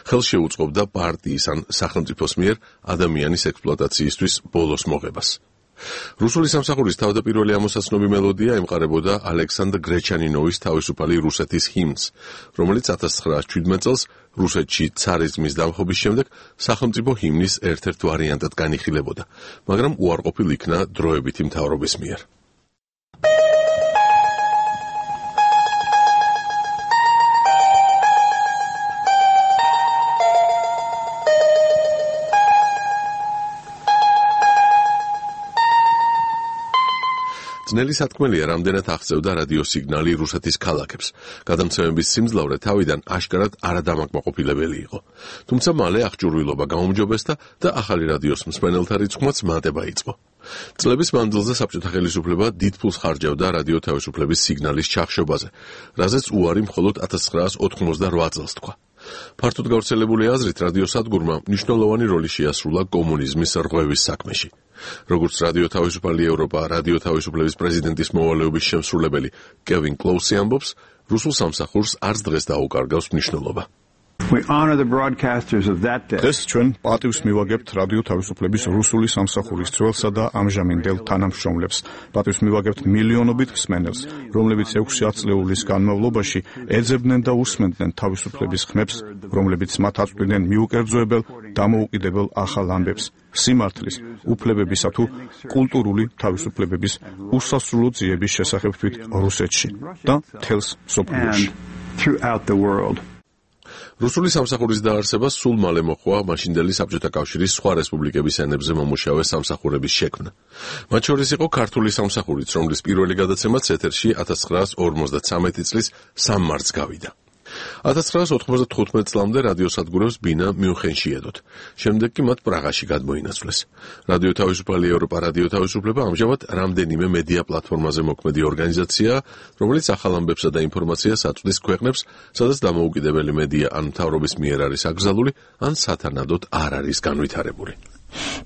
ხელს შეუწყობდა პარტიის ან სახელმწიფოს მიერ ადამიანის ექსპლუატაციისთვის ბოლოს მოღებას. რუსული სამსახურის თავდაპირველი ამოსაცნობი მელოდია ემყარებოდა ალექსანდრ გრეჩანინოვის თავისუფალი რუსეთის ჰიმნს, რომელიც 1917 წელს რუსეთში ცარიზმის დამხობის შემდეგ სახელმწიფო ჰიმნის ერთ-ერთ ვარიანტად განიხილებოდა, მაგრამ უარყოფილ იქნა დროებითი მთავრობის მიერ. ძნელი სათქმელია, რამდენად აღწევდა რადიოსიგნალი რუსეთის ქალაქებს. გადამცემების სიმძლავრე თავიდან აშკარად არადამაკმაყოფილებელი იყო. თუმცა მალე აღჭურვილობა გაუმჯობესდა და ახალი რადიოს მსმენელთა რიცხვმაც მატება იწყო. წლების მანძილზე საბჭოთა ხელისუფლება დიდ ფულს ხარჯავდა რადიო თავისუფლების სიგნალის ჩახშობაზე, რაზეც უარი მხოლოდ 1988 წელს თქვა. ფართოდ გავრცელებული აზრით რადიოსადგურმა მნიშვნელოვანი როლი შეასრულა კომუნიზმის რღვევის საქმეში. როგორც რადიო თავისუფალი ევროპა, რადიო თავისუფლების პრეზიდენტის მოვალეობის შემსრულებელი კევინ კლოუსი ამბობს, რუსულ სამსახურს არც დღეს დაუკარგავს მნიშვნელობა. დღეს ჩვენ პატივს მივაგებთ რადიო თავისუფლების რუსული სამსახურის ძველსა და ამჟამინდელ თანამშრომლებს. პატივს მივაგებთ მილიონობით მსმენელს, რომლებიც 6 ათწლეულის განმავლობაში ეძებდნენ და უსმენდნენ თავისუფლების ხმებს, რომლებიც მათ აწვდიდნენ მიუკერძოებელ, დამოუკიდებელ ახალ ამბებს, სიმართლის, უფლებებისა თუ კულტურული თავისუფლებების უსასრულო ძიების შესახებ თვით რუსეთში და მთელს მსოფლიოში. რუსული სამსახურის დაარსება სულ მალე მოჰყვა მაშინდელი საბჭოთა კავშირის სხვა რესპუბლიკების ენებზე მომუშავე სამსახურების შექმნა. მათ შორის იყო ქართული სამსახურიც, რომლის პირველი გადაცემაც ეთერში 1953 წლის 3 მარტს გავიდა. 1995 წლამდე რადიოსადგურებს ბინა მიუნხენში ედოთ. შემდეგ კი მათ პრაღაში გადმოინაცვლეს. რადიო თავისუფალი ევროპა, რადიო თავისუფლება ამჟამად რამდენიმე მედია პლატფორმაზე მოქმედი ორგანიზაციაა, რომელიც ახალ ამბებსა და ინფორმაციას აწვდის ქვეყნებს, სადაც დამოუკიდებელი მედია ან მთავრობის მიერ არის აკრძალული, ან სათანადოდ არ არის განვითარებული.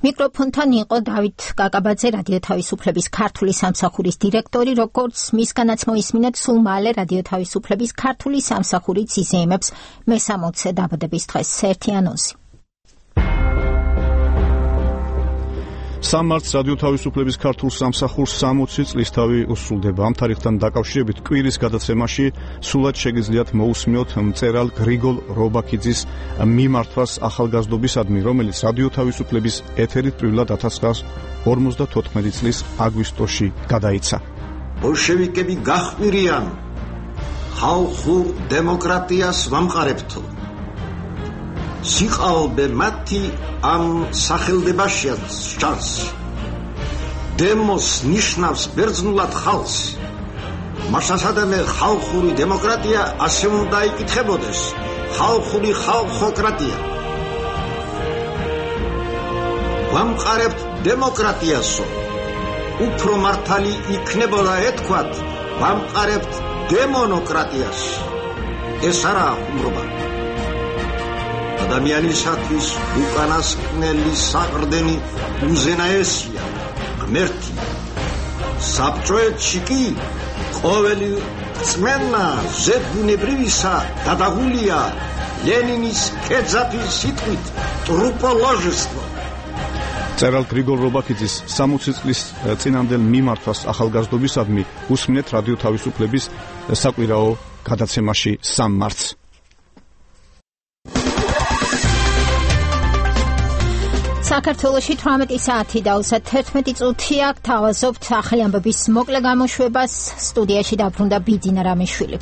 მიკროფონთან იყო დავით კაკაბაძე, რადიო თავისუფლების ქართული სამსახურის დირექტორი, როგორც მისგანაც მოისმინეთ, სულ მალე რადიო თავისუფლების ქართული სამსახურიც იზეიმებს მე-60 დაბადების დღეს. ერთი ანონსი. 3 მარტს რადიო თავისუფლების ქართულ სამსახურს 60 წლისთავი უსრულდება. ამ თარიღთან დაკავშირებით კვირის გადაცემაში სულად შეგიძლიათ მოусმინოთ მწერალ გრიგოლ რობაქიძის მიმართვას ახალგაზრდობისადმი, რომელიც რადიო თავისუფლების ეთერით პირველად 1954 წლის აგვისტოში გადაიცა. ბოლშევიკები გაჰყვირიან ხალხურ დემოკრატიას ვამყარებთო. სიყალბე მათი ამ სახელდებაშიაც ჩანს. დემოს ნიშნავს ბერძნულად ხალხს. მასასადამე ხალხური დემოკრატია ასე უნდა იკითხებოდეს. ხალხური ხალხოკრატია. ვამყარებთ დემოკრატიასო. უფრო მართალი იქნებოდა ეთქვათ, ვამყარებთ დემონოკრატიას. ეს არა ხუმრობა. ადამიანისათვის უკანასკნელი საყრდენი უზენაესია, ღმერთი. საბჭოეთში კი ყოველი რწმენა ზებუნებრივისა გადაღულია ლენინის ქეძაფის სიტყვით ტრუპოლოჟესტო. მწერალ გრიგოლ რობაქიძის 60 წლის წინამდელ მიმართვას ახალგაზრდობისადმი უსმინეთ რადიო თავისუფლების საკვირაო გადაცემაში 3 მარტს. საქართველოში 18 საათი და 11 წუთია. გთავაზობთ ახალი ამბების მოკლე გამოშვებას. სტუდიაში დაბრუნდა ბიძინა რამიშვილი.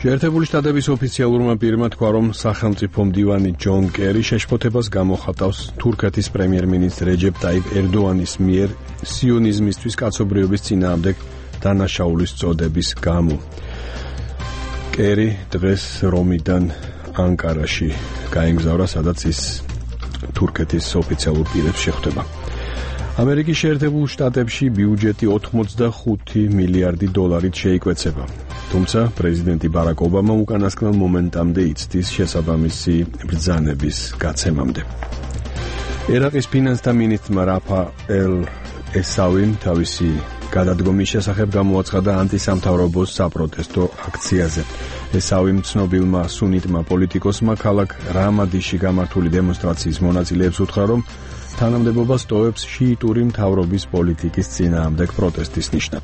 შეერთებული შტატების ოფიციალურმა პირმა თქვა, რომ სახელმწიფო მდივანი ჯონ კერი შეშფოთებას გამოხატავს თურქეთის პრემიერ-მინისტრ რეჯეპ ტაიპ ერდოანის მიერ სიონიზმისთვის კაცობრიობის წინააღმდეგ დანაშაულის წოდების გამო. კერი დღეს რომიდან ანკარაში გაემგზავრა, სადაც ის თურქეთის ოფიციალურ პირებს შეხვდება. ამერიკის შეერთებულ შტატებში ბიუჯეტი 85 მილიარდი დოლარით შეიკვეცება. თუმცა პრეზიდენტი ბარაკ ობამა უკანასკნელ მომენტამდე იცდის შესაბამისი ბრძანების გაცემამდე. ერაყის ფინანსთა მინისტრმა რაფაელ ესავიმ თავისი გადადგომის შესახებ გამოაცხადა ანტისამთავრობო საპროტესტო აქციაზე. ესავიმ ცნობილმა სუნიტმა პოლიტიკოსმა ქალაქ რამადიში გამართული დემონსტრაციის მონაწილეებს უთხრა, რომ თანამდებობა სტოვებს შიიტური მთავრობის პოლიტიკის წინააღმდეგ პროტესტის ნიშნად.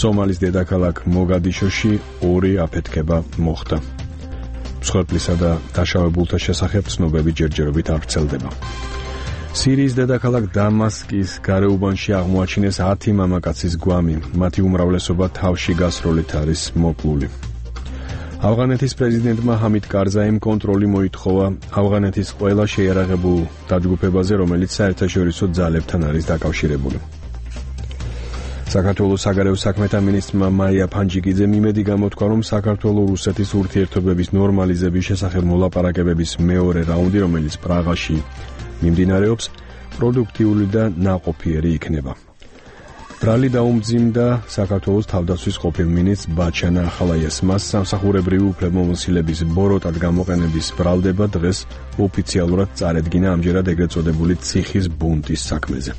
სომალის დედაქალაქ მოგადიშოში 2 აფეთქება მოხდა. მსხვერპლისა და დაშავებულთა შესახებ ცნობები ჯერჯერობით არ ვრცელდება. სირიის დედაქალაქ დამასკის გარეუბანში აღმოაჩინეს 10 მამაკაცის გვამი. მათი უმრავლესობა თავში გასროლით არის მოკლული. ავღანეთის პრეზიდენტმა ჰამიდ კარზაიმ კონტროლი მოითხოვა ავღანეთის ყველა შეიარაღებულ დაჯგუფებაზე, რომელიც საერთაშორისო ძალებთან არის დაკავშირებული. საქართველოს საგარეო საქმეთა მინისტრმა მაია ფანჯიკიძემ იმედი გამოთქვა, რომ საქართველო-რუსეთის ურთიერთობების ნორმალიზების შესახებ მოლაპარაკებების მეორე რაუნდი, რომელიც პრაღაში მიმდინარეობს, პროდუქტიული და ნაყოფიერი იქნება. ბრალი დაუმძიმდა საქართველოს თავდაცვის ყოფილ მინისტრ ბაჩანა ახალაიას. მას სამსახურებრივი უფლებამოსილების ბოროტად გამოყენების ბრალდება დღეს ოფიციალურად წარედგინა ამჯერად ეგრეთ წოდებული ციხის ბუნტის საქმეზე.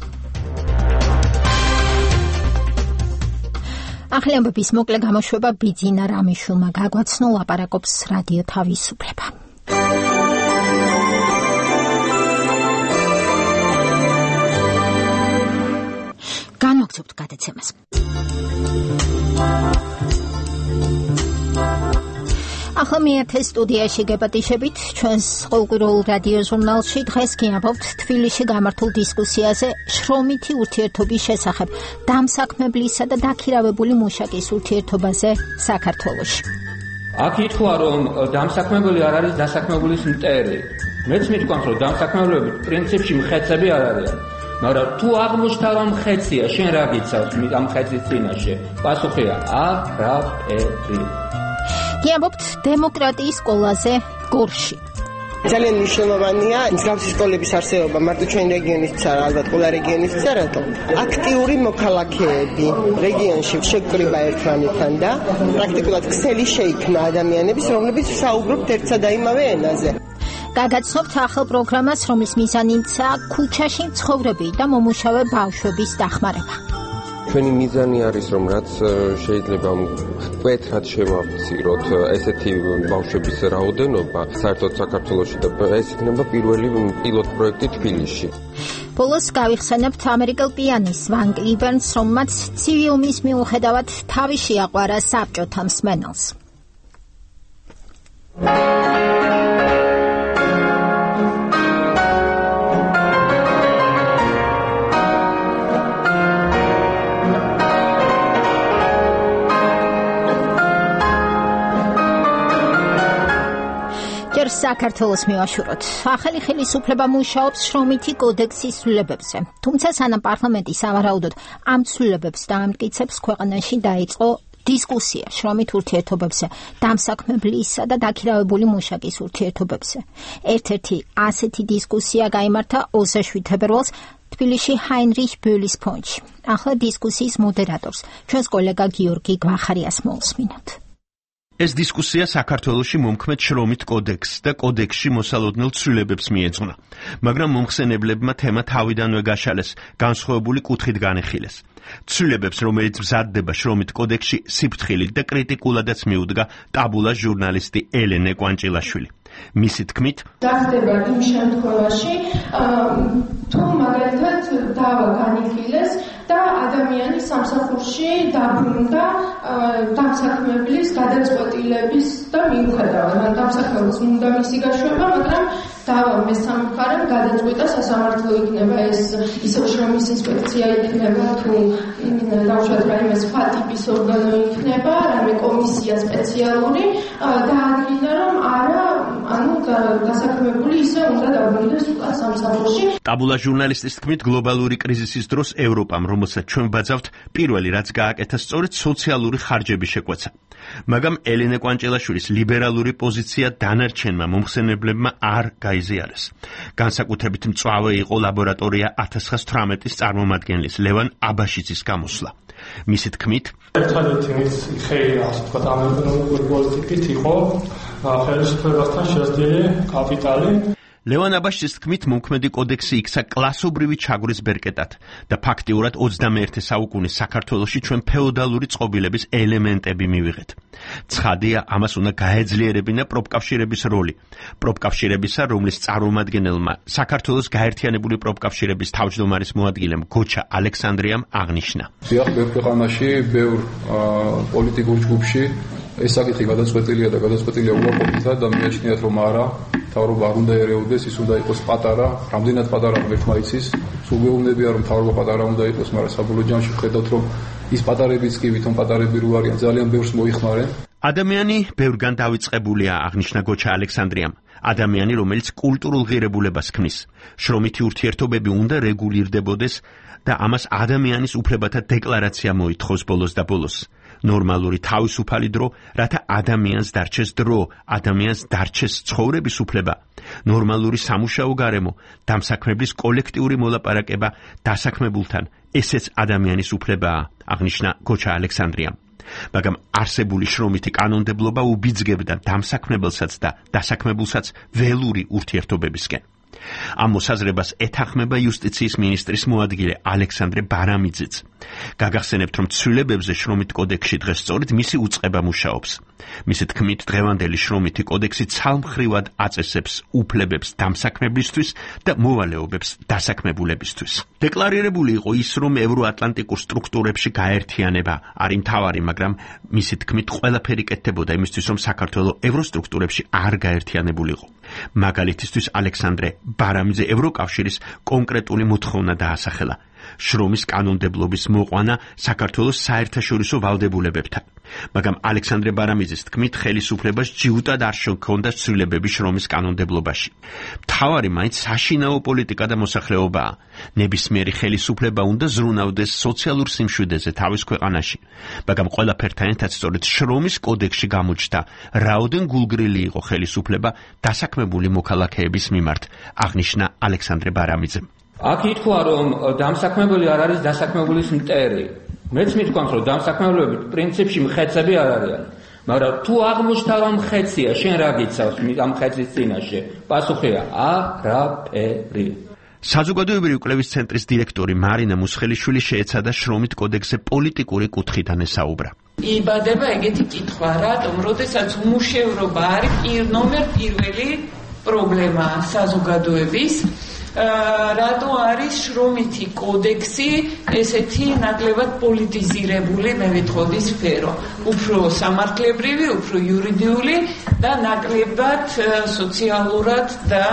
ახალი ამბების მოკლე გამოშვება ბიძინა რამიშვილმა გაგვაცნო, ლაპარაკობს რადიო თავისუფლება. განვაგრძობთ გადაცემას. ახლა მეათე სტუდიაში გეპატიშებით ჩვენს ყოველკვირეულ რადიო ჟურნალში. დღეს გიამბობთ თბილისში გამართულ დისკუსიაზე შრომითი ურთიერთობის შესახებ, დამსაქმებლისა და დაქირავებული მუშაკის ურთიერთობაზე საქართველოში. აქ ითქვა, რომ დამსაქმებელი არ არის დასაქმებულის მტერი. მეც მითქვამს, რომ დამსაქმებლები პრინციპში მხეცები არ არიან. მაგრამ თუ აღმოჩნდა რომ მხეცია, შენ რა გიცავს ამ მხეცის წინაშე? პასუხია: არაფერი. გიამბობთ დემოკრატიის სკოლაზე გორში. ძალიან მნიშვნელოვანია მსგავსი სკოლების არსებობა მარტო ჩვენ რეგიონისთვის არა, ალბათ ყველა რეგიონისთვის არა, რატომ? აქტიური მოქალაქეები რეგიონში შეკრიბა ერთმანეთთან და პრაქტიკულად ქსელი შეიქმნა ადამიანების, რომლებიც საუბრობთ ერთსა და იმავე ენაზე. გაგაცნობთ ახალ პროგრამას, რომლის მიზანიცაა ქუჩაში მცხოვრები და მომუშავე ბავშვების დახმარება. ჩვენი მიზანი არის, რომ რაც შეიძლება მკვეთრად შევამციროთ ესეთი ბავშვების რაოდენობა საერთოდ საქართველოში და ეს იქნება პირველი პილოტ პროექტი თბილისში. ბოლოს გავიხსენებთ ამერიკელ პიანის ვან კლიბერნს, რომელმაც ცივილის მიუხედავად თავი შეაყვარა საბჭოთა მსმენელს. საქართველოს მივაშუროთ. ახალი ხელისუფლება მუშაობს შრომითი კოდექსის ცვლილებებზე. თუმცა სანამ პარლამენტი სავარაუდოდ ამ ცვლილებებს დაამტკიცებს, ქვეყანაში დაიწყო დისკუსია შრომით ურთიერთობებზე, დამსაქმებლისა და დაქირავებული მუშაკის ურთიერთობებზე. ერთ-ერთი ასეთი დისკუსია გაიმართა 27 თებერვალს თბილისში ჰაინრიხ ბოლის ფონდში. ახლა დისკუსიის მოდერატორს, ჩვენს კოლეგა გიორგი გვახარიას მოусმინოთ. ეს დისკუსია საქართველოში მომქმედ შრომით კოდექსს და კოდექსში მოსალოდნელ ცვლილებებს მიეძღვნა, მაგრამ მომხსენებლებმა თემა თავიდანვე გაშალეს, განსხვავებული კუთხით განეხილეს. ცვლილებებს, რომელიც მზადდება შრომით კოდექსში, სიფრთხილით და კრიტიკულადაც მიუდგა ტაბულას ჟურნალისტი ელენე კვანჭილაშვილი. მისი თქმით, დახდება იმ შემთხვევაში, თუ მაგალითად დავა განიხილეს და ადამიანი სამსახურში დაბრუნდა დამსაქმებლის გადაწყვეტილების და მიუხედავად, დამსაქმებლის უნდა მისი გაშვება, მაგრამ დავა მესამე მხარემ გადაწყვეტა სასამართლო იქნება ეს ისევ შრომის ინსპექცია იქნება თუ დავუშვათ რაიმე სხვა ტიპის ორგანო იქნება, რაიმე კომისია სპეციალური დაადგინა რომ არა დასაქმებული ისე უნდა დაბრუნდეს უკვე სამსახურში. ტაბულა ჟურნალისტის თქმით, გლობალური კრიზისის დროს ევროპამ, რომელსაც ჩვენ ბაძავთ, პირველი რაც გააკეთა სწორედ სოციალური ხარჯების შეკვეცა. მაგრამ ელენე კვანჭილაშვილის ლიბერალური პოზიცია დანარჩენმა მომხსენებლებმა არ გაიზიარეს. განსაკუთრებით მწვავე იყო ლაბორატორია 1918-ის წარმომადგენლის ლევან აბაშიძის გამოსვლა. მისი თქმით, ერთადერთი მის ხელი ასე ვთქვათ ამერიკული პოლიტიკით იყო ხელისუფლებასთან შესდილი კაპიტალი. ლევან აბაშიძის თქმით, მომქმედი კოდექსი იქცა კლასობრივი ჩაგვრის ბერკეტად და ფაქტიურად 21 საუკუნის საქართველოში ჩვენ ფეოდალური წყობილების ელემენტები მივიღეთ. ცხადია, ამას უნდა გაეძლიერებინა პროფკავშირების როლი. პროფკავშირებისა, რომლის წარმომადგენელმა საქართველოს გაერთიანებული პროფკავშირების თავმჯდომარის მოადგილემ გოჩა ალექსანდრიამ აღნიშნა. დიახ, ბევრ ქვეყანაში, ბევრ პოლიტიკურ ჯგუფში ეს საკითხი გადაწყვეტილია და გადაწყვეტილია უარყოფითად და მიაჩნიათ რომ არა, მთავრობა არ უნდა ერეოდეს, ის უნდა იყოს პატარა, რამდენად პატარა ერთმა იცის, სულ მეუბნებია რომ მთავრობა პატარა უნდა იყოს, მაგრამ საბოლოო ჯამში ხედავთ რომ ის პატარებიც კი ვითომ პატარები რო არიან, ძალიან ბევრს მოიხმარენ. ადამიანი ბევრგან დავიწყებულია, აღნიშნა გოჩა ალექსანდრიამ. ადამიანი, რომელიც კულტურულ ღირებულებას ქმნის. შრომითი ურთიერთობები უნდა რეგულირდებოდეს და ამას ადამიანის უფლებათა დეკლარაცია მოითხოვს ბოლოს და ბოლოს. ნორმალური თავისუფალი დრო, რათა ადამიანს დარჩეს დრო, ადამიანს დარჩეს ცხოვრების უფლება. ნორმალური სამუშაო გარემო, დამსაქმებლის კოლექტიური მოლაპარაკება დასაქმებულთან, ესეც ადამიანის უფლებაა, აღნიშნა გოჩა ალექსანდრიამ. მაგრამ არსებული შრომითი კანონმდებლობა უბიძგებდა დამსაქმებელსაც და დასაქმებულსაც ველური ურთიერთობებისკენ. ამ მოსაზრებას ეთანხმება იუსტიციის მინისტრის მოადგილე ალექსანდრე ბარამიძეც. გაგახსენებთ, რომ ცვლილებებზე შრომით კოდექსში დღეს სწორედ მისი უწყება მუშაობს. მისი თქმით, დღევანდელი შრომითი კოდექსი ცალმხრივად აწესებს უფლებებს დამსაქმებლისთვის და მოვალეობებს დასაქმებულებისთვის. დეკლარირებული იყო ის, რომ ევროატლანტიკურ სტრუქტურებში გაერთიანება არის მთავარი, მაგრამ მისი თქმით, ყველაფერი კეთდებოდა იმისთვის, რომ საქართველო ევროსტრუქტურებში არ გაერთიანებულიყო. მაგალითისთვის ალექსანდრე ბარამიძე ევროკავშირის კონკრეტული მოთხოვნა დაასახელა. შრომის კანონმდებლობის მოყვანა საქართველოს საერთაშორისო ვალდებულებებთან. მაგრამ ალექსანდრე ბარამიძის თქმით, ხელისუფლებას ჯიუტად არ შექონდა ცვლილებები შრომის კანონმდებლობაში. მთავარი მაინც საშინაო პოლიტიკა და მოსახლეობაა. ნებისმიერი ხელისუფლება უნდა ზრუნავდეს სოციალურ სიმშვიდეზე თავის ქვეყანაში. მაგრამ ყველაფერთან ერთად სწორედ შრომის კოდექსში გამოჩნდა, რაოდენ გულგრილი იყო ხელისუფლება დასაქმებული მოქალაქეების მიმართ, აღნიშნა ალექსანდრე ბარამიძემ. აქ ითქვა, რომ დამსაქმებელი არ არის დასაქმებულის მტერი. მეც მithქვამს, რომ დამსაქმებლები პრინციპში მხეცები არ არიან. მაგრამ თუ აღმოჩნდა, რომ მხეცია, შენ რა გიცავს ამ მხეცის წინაშე? პასუხია: არაფერი. საზოგადოებრივი კვლევის ცენტრის დირექტორი მარინა მუსხელიშვილი შეეცადა შრომით კოდექსზე პოლიტიკური კუთხიდან ესაუბრა. იბადება ეგეთი კითხვა, რატომ, როდესაც უმუშევრობა არის ნომერ პირველი პრობლემა საზოგადოების, რატო არის შრომითი კოდექსი ესეთი ნაკლებად პოლიტიზირებული, მე ვიტყოდი სფერო, უფრო სამართლებრივი, უფრო იურიდიული და ნაკლებად სოციალურად და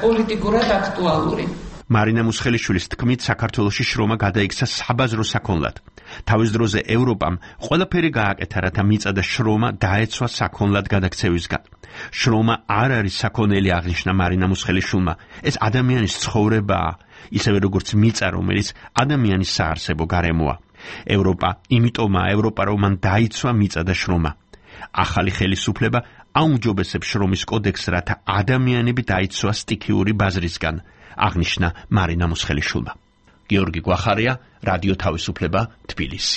პოლიტიკურად აქტუალური. მარინა მუსხელიშვილის თქმით, საქართველოში შრომა გადაიქცა საბაზრო საქონლად. თავის დროზე ევროპამ ყველაფერი გააკეთა, რათა მიწა და შრომა დაეცვა საქონლად გადაქცევისგან. შრომა არ არის საქონელი, აღნიშნა მარინა მუსხელიშვილმა. ეს ადამიანის ცხოვრებაა, ისევე როგორც მიწა, რომელიც ადამიანის საარსებო გარემოა. იმიტომაა ევროპა, რომ მან დაიცვა მიწა და შრომა. ახალი ხელისუფლება აუმჯობესებს შრომის კოდექსს, რათა ადამიანები დაიცვა სტიქიური ბაზრისგან, აღნიშნა მარინა მუსხელიშვილმა. გიორგი გვახარია, რადიო თავისუფლება, თბილისი.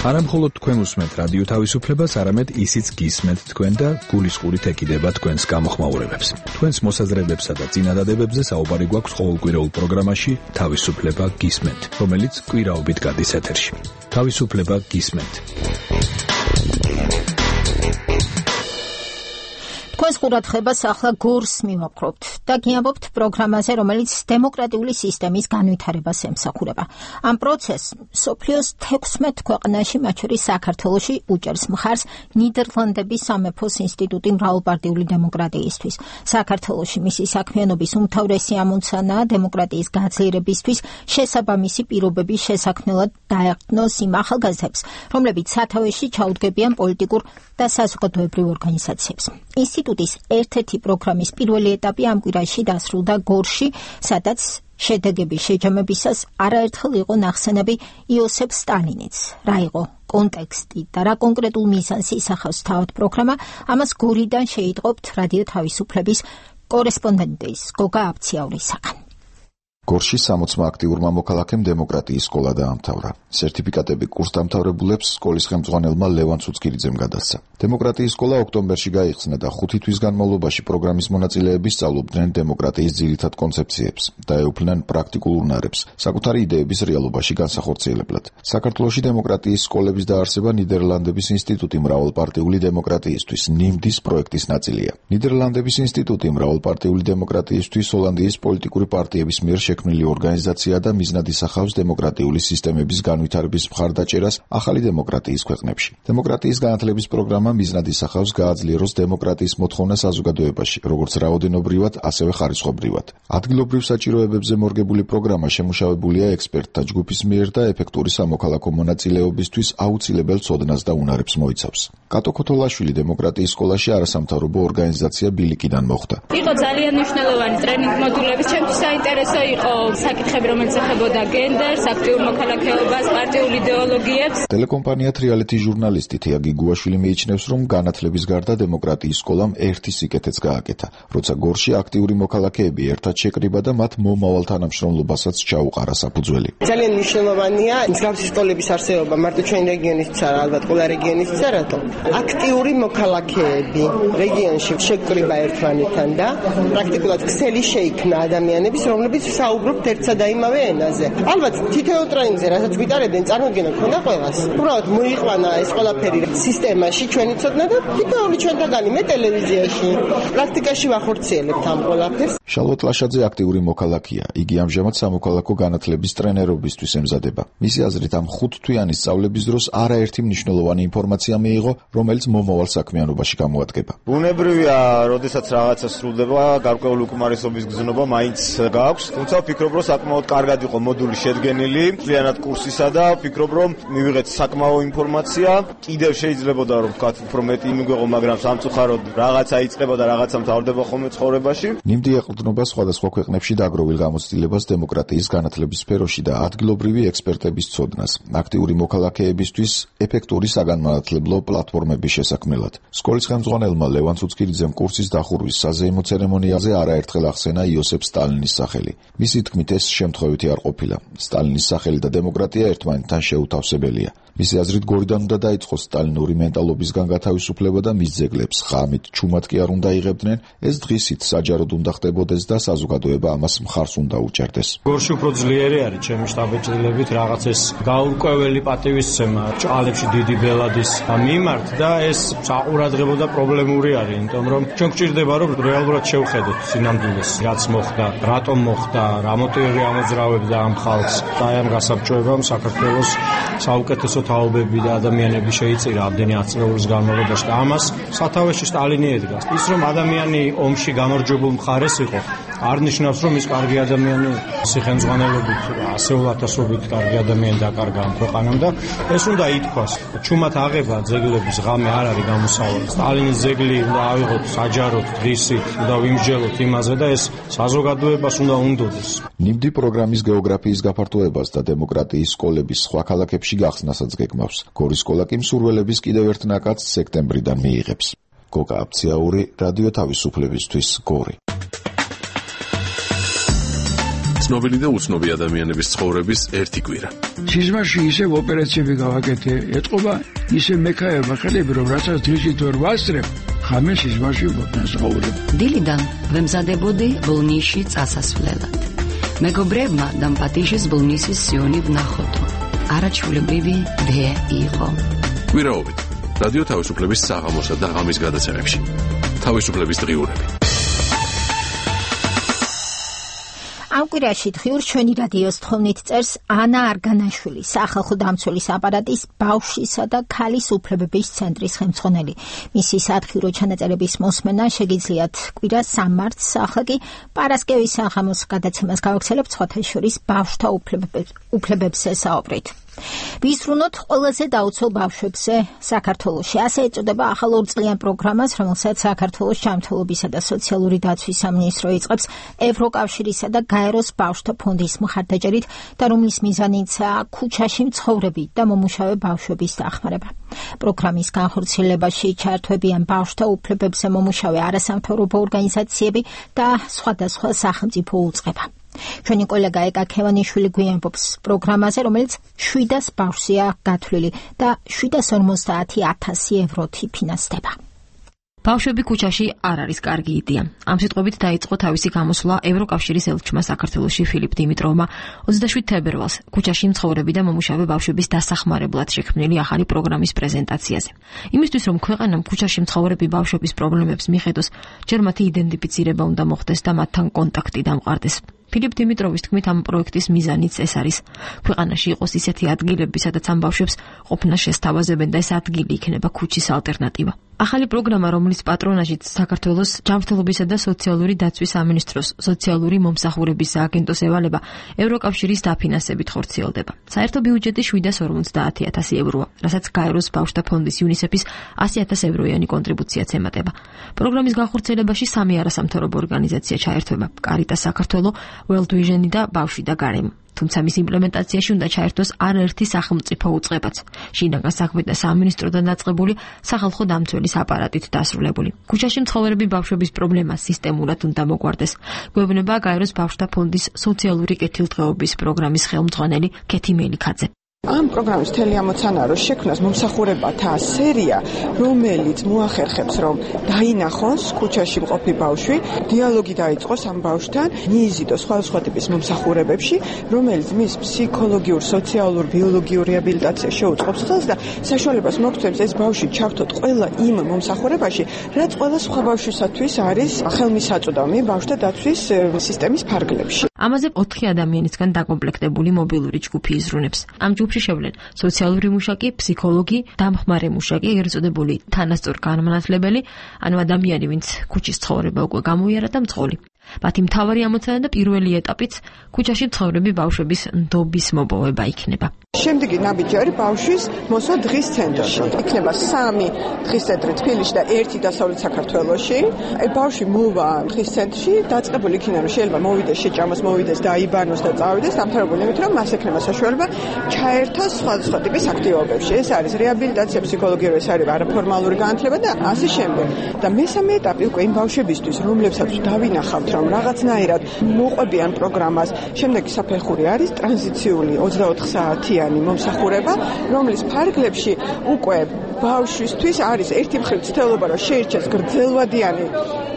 არა მხოლოდ თქვენ უსმენთ რადიო თავისუფლებას, არამედ ისიც გისმენთ თქვენ და გულისყურით ეკიდება თქვენს გამოხმაურებებს. თქვენს მოსაზრებებსა და წინადადებებზე საუბარი გვაქვს ყოველკვირეულ პროგრამაში თავისუფლება გისმენთ, რომელიც კვირაობით გადის ეთერში. თავისუფლება გისმენთ. თქვენს ყურადღებას ახლა გორს მივაპყრობთ და გიამბობთ პროგრამაზე, რომელიც დემოკრატიული სისტემის განვითარებას ემსახურება. ამ პროცესს მსოფლიოს 16 ქვეყანაში, მათ შორის საქართველოში, უჭერს მხარს ნიდერლანდების სამეფოს ინსტიტუტი მრავალპარტიული დემოკრატიისთვის. საქართველოში მისი საქმიანობის უმთავრესი ამოცანაა დემოკრატიის გაძლიერებისთვის შესაბამისი პირობების შესაქმნელად დაეყრდნოს იმ ახალგაზრდებს, რომლებიც სათავეში ჩაუდგებიან პოლიტიკურ და საზოგადოებრივ ორგანიზაციებს. ინსტიტუტის ერთ-ერთი პროგრამის პირველი ეტაპი ამ კვირაში დასრულდა გორში, სადაც შედეგების შეჯამებისას არაერთხელ იყო ნახსენები იოსებ სტალინიც. რა იყო კონტექსტი და რა კონკრეტულ მიზანს ისახავს თავად პროგრამა, ამას გორიდან შეიტყობთ რადიო თავისუფლების კორესპონდენტის გოგა აბციაურისაგან. გორში 60 აქტიურმა მოქალაქემ დემოკრატიის სკოლა დაამთავრა. სერტიფიკატები კურსდამთავრებულებს სკოლის ხელმძღვანელმა ლევან ცუცკირიძემ გადასცა. დემოკრატიის სკოლა ოქტომბერში გაიხსნა და 5 თვის განმავლობაში პროგრამის მონაწილეები სწავლობდნენ დემოკრატიის ძირითად კონცეფციებს და ეუფლნენ პრაქტიკულ უნარებს, საკუთარი იდეების რეალობაში განსახორციელებლად. საქართველოში დემოკრატიის სკოლების დაარსება ნიდერლანდების ინსტიტუტი მრავალპარტიული დემოკრატიისთვის ნიმდის პროექტის ნაწილია. ნიდერლანდების ინსტიტუტი მრავალპარტიული დემოკრატიისთვის ჰოლანდიის პოლიტიკური პარტიების მიერ შექმნილი ორგანიზაცია და მიზნად ისახავს დემოკრატიული სისტემების განვითარების მხარდაჭერას ახალი დემოკრატიის ქვეყნებში. დემოკრატიის განათლების პროგრამა მიზნად ისახავს გააძლიეროს დემოკრატიის მოთხოვნა საზოგადოებაში, როგორც რაოდენობრივად, ასევე ხარისხობრივად. ადგილობრივ საჭიროებებზე მორგებული პროგრამა შემუშავებულია ექსპერტთა ჯგუფის მიერ და ეფექტური სამოქალაქო მონაწილეობისთვის აუცილებელ ცოდნას და უნარებს მოიცავს. კატო ქოთოლაშვილი დემოკრატიის სკოლაში არასამთავრობო ორგანიზაცია ბილიკიდან მოხვდა. იყო ძალიან მნიშვნელოვანი ტრენინგ მოდულების, ჩემთვის საინტერესო იყო საკითხები, რომელიც ეხებოდა გენდერს, აქტიურ მოქალაქეობას, პარტიულ იდეოლოგიებს. ტელეკომპანია თრიალეთის ჟურნალისტი თია გიგუაშვილი მიიჩნევს, რომ განათლების გარდა დემოკრატიის სკოლამ ერთი სიკეთეც გააკეთა, როცა გორში აქტიური მოქალაქეები ერთად შეკრიბა და მათ მომავალ თანამშრომლობასაც ჩაუყარა საფუძველი. ძალიან მნიშვნელოვანია მსგავსი სკოლების არსებობა, მარტო ჩვენი რეგიონისთვის არა, ალბათ ყველა რეგიონისთვის, რატომ? აქტიური მოქალაქეები რეგიონში შეკრიბა ერთმანეთთან და პრაქტიკულად ქსელი შეიქმნა ადამიანების, რომლებიც საუბრობთ ერთსა და იმავე ენაზე. ალბათ თითოეულ ტრენინგზე, რასაც ვიტარებდნენ, წარმოდგენა ქონდა ყველას. უბრალოდ მოიყვანა ეს ყველაფერი სისტემაში, ჩვენი ცოდნა და თითოეული ჩვენთაგანი მე ტელევიზიაში, პრაქტიკაში ვახორციელებთ ამ ყველაფერს. შალვატ ლაშაძე აქტიური მოქალაქეა. იგი ამჟამად სამოქალაქო განათლების ტრენერობისთვის ემზადება. მისი აზრით, ამ 5 თვიანი სწავლების დროს არაერთი მნიშვნელოვანი ინფორმაცია მიიღო, რომელიც მომავალ საქმიანობაში გამოადგება. ბუნებრივია, როდესაც რაღაცა სრულდება, გარკვეული უკმარისობის გზნობა მაინც გაქვს, თუმცა ვფიქრობ, რომ საკმაოდ კარგად იყო მოდული შედგენილი, მთლიანად კურსისა და ვფიქრობ, რომ მივიღეთ საკმაო ინფორმაცია. კიდევ შეიძლებოდა რომ ვთქვათ, უფრო მეტი იმიგვეღო, მაგრამ სამწუხაროდ რაღაცა იწყება და რაღაცა მთავრდება ხოლმე ცხოვრებაში. ნიმდი ეყრდნობა სხვადასხვა ქვეყნებში დაგროვილ გამოცდილებას დემოკრატიის განათლების სფეროში და ადგილობრივი ექსპერტების ცოდნას, აქტიური მოქალაქეებისთვის ეფექტური საგანმანათლებლო პლატფორმების შესაქმნელად. სკოლის ხელმძღვანელმა ლევან ცუცკირიძემ კურსის დახურვის საზეიმო ცერემონიაზე არაერთხელ ახსენა იოსებ სტალინის სახელი. მის მისი თქმით, ეს შემთხვევითი არ ყოფილა. სტალინის სახელი და დემოკრატია ერთმანეთთან შეუთავსებელია. მისი აზრით, გორიდან უნდა დაიწყოს სტალინური მენტალობისგან გათავისუფლება და მის ძეგლებს ღამით ჩუმად კი არ უნდა იღებდნენ. ეს დღისით საჯაროდ უნდა ხდებოდეს და საზოგადოება ამას მხარს უნდა უჭერდეს. გორში უფრო ძლიერი არის ჩემი შტაბ-ჭრილებით რაღაც ეს გაურკვეველი პატივისცემა ჭალებში დიდი ბელადის მიმართ და ეს საყურადღებო და პრობლემური არის, იმიტომ რომ ჩვენ გვჭირდება რომ რეალურად შევხედოთ სინამდვილეს, რაც მოხდა, რატომ მოხდა, რა მოტივები ამოძრავებდა ამ ხალხს და ამ გასაბჭოებამ საქართველოს საუკეთესო თაობები და ადამიანები შეიწირა ამდენი ათწლეულის განმავლობაში და ამას სათავეში სტალინი ედგას. ის რომ ადამიანი ომში გამარჯვებულ მხარეს იყო, არ ნიშნავს რომ ის კარგი ადამიანი სიხენძღვანელობით ასეულათასობით კარგი ადამიანი დაკარგა ამ ქვეყანამ და ეს უნდა ითქვას. ჩუმად აღება ძეგლების ღამე არ არის გამოსავალი. სტალინის ძეგლი უნდა ავიღოთ საჯაროდ დღისით, უნდა ვიმსჯელოთ იმაზე და ეს საზოგადოებას უნდა უნდოდეს. ნიმდი პროგრამის გეოგრაფიის გაფართოებას და დემოკრატიის სკოლების სხვა ქალაქებში გახსნასაც გეგმავს. გორის სკოლა კი მსურველების კიდევ ერთ ნაკადს სექტემბრიდან მიიღებს. გოგა აფციაური, რადიო თავისუფლებისთვის, გორი. ცნობილი და უცნობი ადამიანების ცხოვრების ერთი კვირა. სიზმარში ისევ ოპერაციები გავაკეთე, ეთყობა ისე მექაება ხელები, რომ რასაც დღისით ვერ ვასწრებ, ხამე სიზმარში ვასწავლებ. დილიდან ვემზადებოდი ბოლნისში წასასვლელად. მეგობრებმა დამპატიშის ბოლნისის სიონი ვნახოთო. არაჩვეულებრივი დე იყო. კვირაობით რადიო თავისუფლების საღამოსა და ღამის გადაცემებში. თავისუფლების დღიურები. ამ კვირაში დღიურ ჩვენი რადიოს თხოვნით წერს ანა არგანაშვილი, სახალხო დამცველის აპარატის ბავშვისა და ქალის უფლებების ცენტრის ხელმძღვანელი. მისი სათხიურო ჩანაწერების მოსმენა შეგიძლიათ კვირა 3 მარტს, ახლა კი პარასკევის საღამოს გადაცემას გავაგრძელებთ სხვათა შორის ბავშვთა უფლებებზე საუბრით. ვიზრუნოთ ყველაზე დაუცველ ბავშვებზე საქართველოში. ასე ეწოდება ახალ 2 წლიან პროგრამას, რომელსაც საქართველოს ჯანმრთელობისა და სოციალური დაცვის სამინისტრო იწყებს ევროკავშირისა და გაეროს ბავშვთა ფონდის მხარდაჭერით და რომლის მიზანიცაა ქუჩაში მცხოვრები და მომუშავე ბავშვების დახმარება. პროგრამის განხორციელებაში ჩართვებიან ბავშვთა უფლებებზე მომუშავე არასამთავრობო ორგანიზაციები და სხვადასხვა სახელმწიფო უწყება. ჩვენი კოლეგა ეკა ქევანიშვილი გვიამბობს პროგრამაზე, რომელიც 700 ბავშვია გათვლილი და 750,000 ევროთი ფინანსდება. ბავშვები ქუჩაში არ არის კარგი იდეა. ამ სიტყვებით დაიწყო თავისი გამოსვლა ევროკავშირის ელჩმა საქართველოში ფილიპ დიმიტროვმა 27 თებერვალს ქუჩაში მცხოვრები და მომუშავე ბავშვების დასახმარებლად შექმნილი ახალი პროგრამის პრეზენტაციაზე. იმისთვის რომ ქვეყანამ ქუჩაში მცხოვრები ბავშვების პრობლემებს მიხედოს, ჯერ მათი იდენტიფიცირება უნდა მოხდეს და მათთან კონტაქტი დამყარდეს. ფილიპ დიმიტროვის თქმით, ამ პროექტის მიზანიც ეს არის. ქვეყანაში იყოს ისეთი ადგილები, სადაც ამ ბავშვებს ყოფნა შესთავაზებენ და ეს ადგილი იქნება ქუჩის ალტერნატივა. ახალი პროგრამა, რომლის პატრონაჟით საქართველოს ჯანმრთელობისა და სოციალური დაცვის სამინისტროს სოციალური მომსახურების სააგენტოს ევალება, ევროკავშირის დაფინანსებით ხორციელდება. საერთო ბიუჯეტი 750,000 ევროა, რასაც გაეროს ბავშვთა ფონდის UNICEF-ის 100,000 ევროიანი კონტრიბუციაც ემატება. პროგრამის განხორციელებაში 3 არასამთავრობო ორგანიზაცია ჩაერთვება: Caritas საქართველო, World Vision და ბავშვი და გარემო. თუმცა მის იმპლემენტაციაში უნდა ჩაერთოს არაერთი სახელმწიფო უწყებაც. შინაგან საქმეთა სამინისტროდან დაწყებული სახალხო დამცველის აპარატით დასრულებული. ქუჩაში მცხოვრები ბავშვების პრობლემა სისტემურად უნდა მოგვარდეს. გვევნება გაეროს ბავშვთა ფონდის სოციალური კეთილდღეობის პროგრამის ხელმძღვანელი კეთი მელიქაძე. ამ პროგრამის მთელი ამოცანა რომ შექმნას მომსახურებათა სერია, რომელიც მოახერხებს რომ დაინახოს ქუჩაში მყოფი ბავშვი, დიალოგი დაიწყოს ამ ბავშვთან, მიიზიდოს სხვადასხვა ტიპის მომსახურებებში, რომელიც მის ფსიქოლოგიურ, სოციალურ, ბიოლოგიურ რეაბილიტაციას შეუწყობს ხელს და საშუალებას მოგცემს ეს ბავშვი ჩართოთ ყველა იმ მომსახურებაში, რაც ყველა სხვა ბავშვისათვის არის ხელმისაწვდომი ბავშვთა დაცვის სისტემის ფარგლებში. ამაზე 4 ადამიანისგან დაკომპლექტებული მობილური ჯგუფი იზრუნებს. ამ ჯგუფში შევლენ სოციალური მუშაკი, ფსიქოლოგი, დამხმარე მუშაკი, ეგრეთ წოდებული თანასწორ განმანათლებელი, ანუ ადამიანი, ვინც ქუჩის ცხოვრება უკვე გამოიარა და მძღოლი. მათი მთავარი ამოცანა და პირველი ეტაპიც ქუჩაში მცხოვრები ბავშვების ნდობის მოპოვება იქნება. შემდეგი ნაბიჯი ბავშვის მოსვლა დღის ცენტრში. იქნება 3 დღის ცენტრი თბილისში და 1 დასავლეთ საქართველოში. ბავშვი მოვა დღის ცენტრში, დაწყებული იქნება რომ შეიძლება მოვიდეს შეჭამოს, მოვიდეს, დაიბანოს და წავიდეს, დამთავრებული იმით, რომ მას ექნება საშუალება ჩაერთოს სხვადასხვა ტიპის აქტივობებში. ეს არის რეაბილიტაცია, ფსიქოლოგიური, ეს არის არაფორმალური განათლება და ასე შემდეგ. და მესამე ეტაპი უკვე იმ ბავშვებისთვის, რომლებსაც დავინახავთ, რომ რაღაცნაირად მოყვებიან პროგრამას, შემდეგი საფეხური არის ტრანზიციული 24 საათიანი მომსახურება, რომლის ფარგლებში უკვე ბავშვისთვის არის ერთი მხრივ ცდელობა, რომ შეირჩეს გრძელვადიანი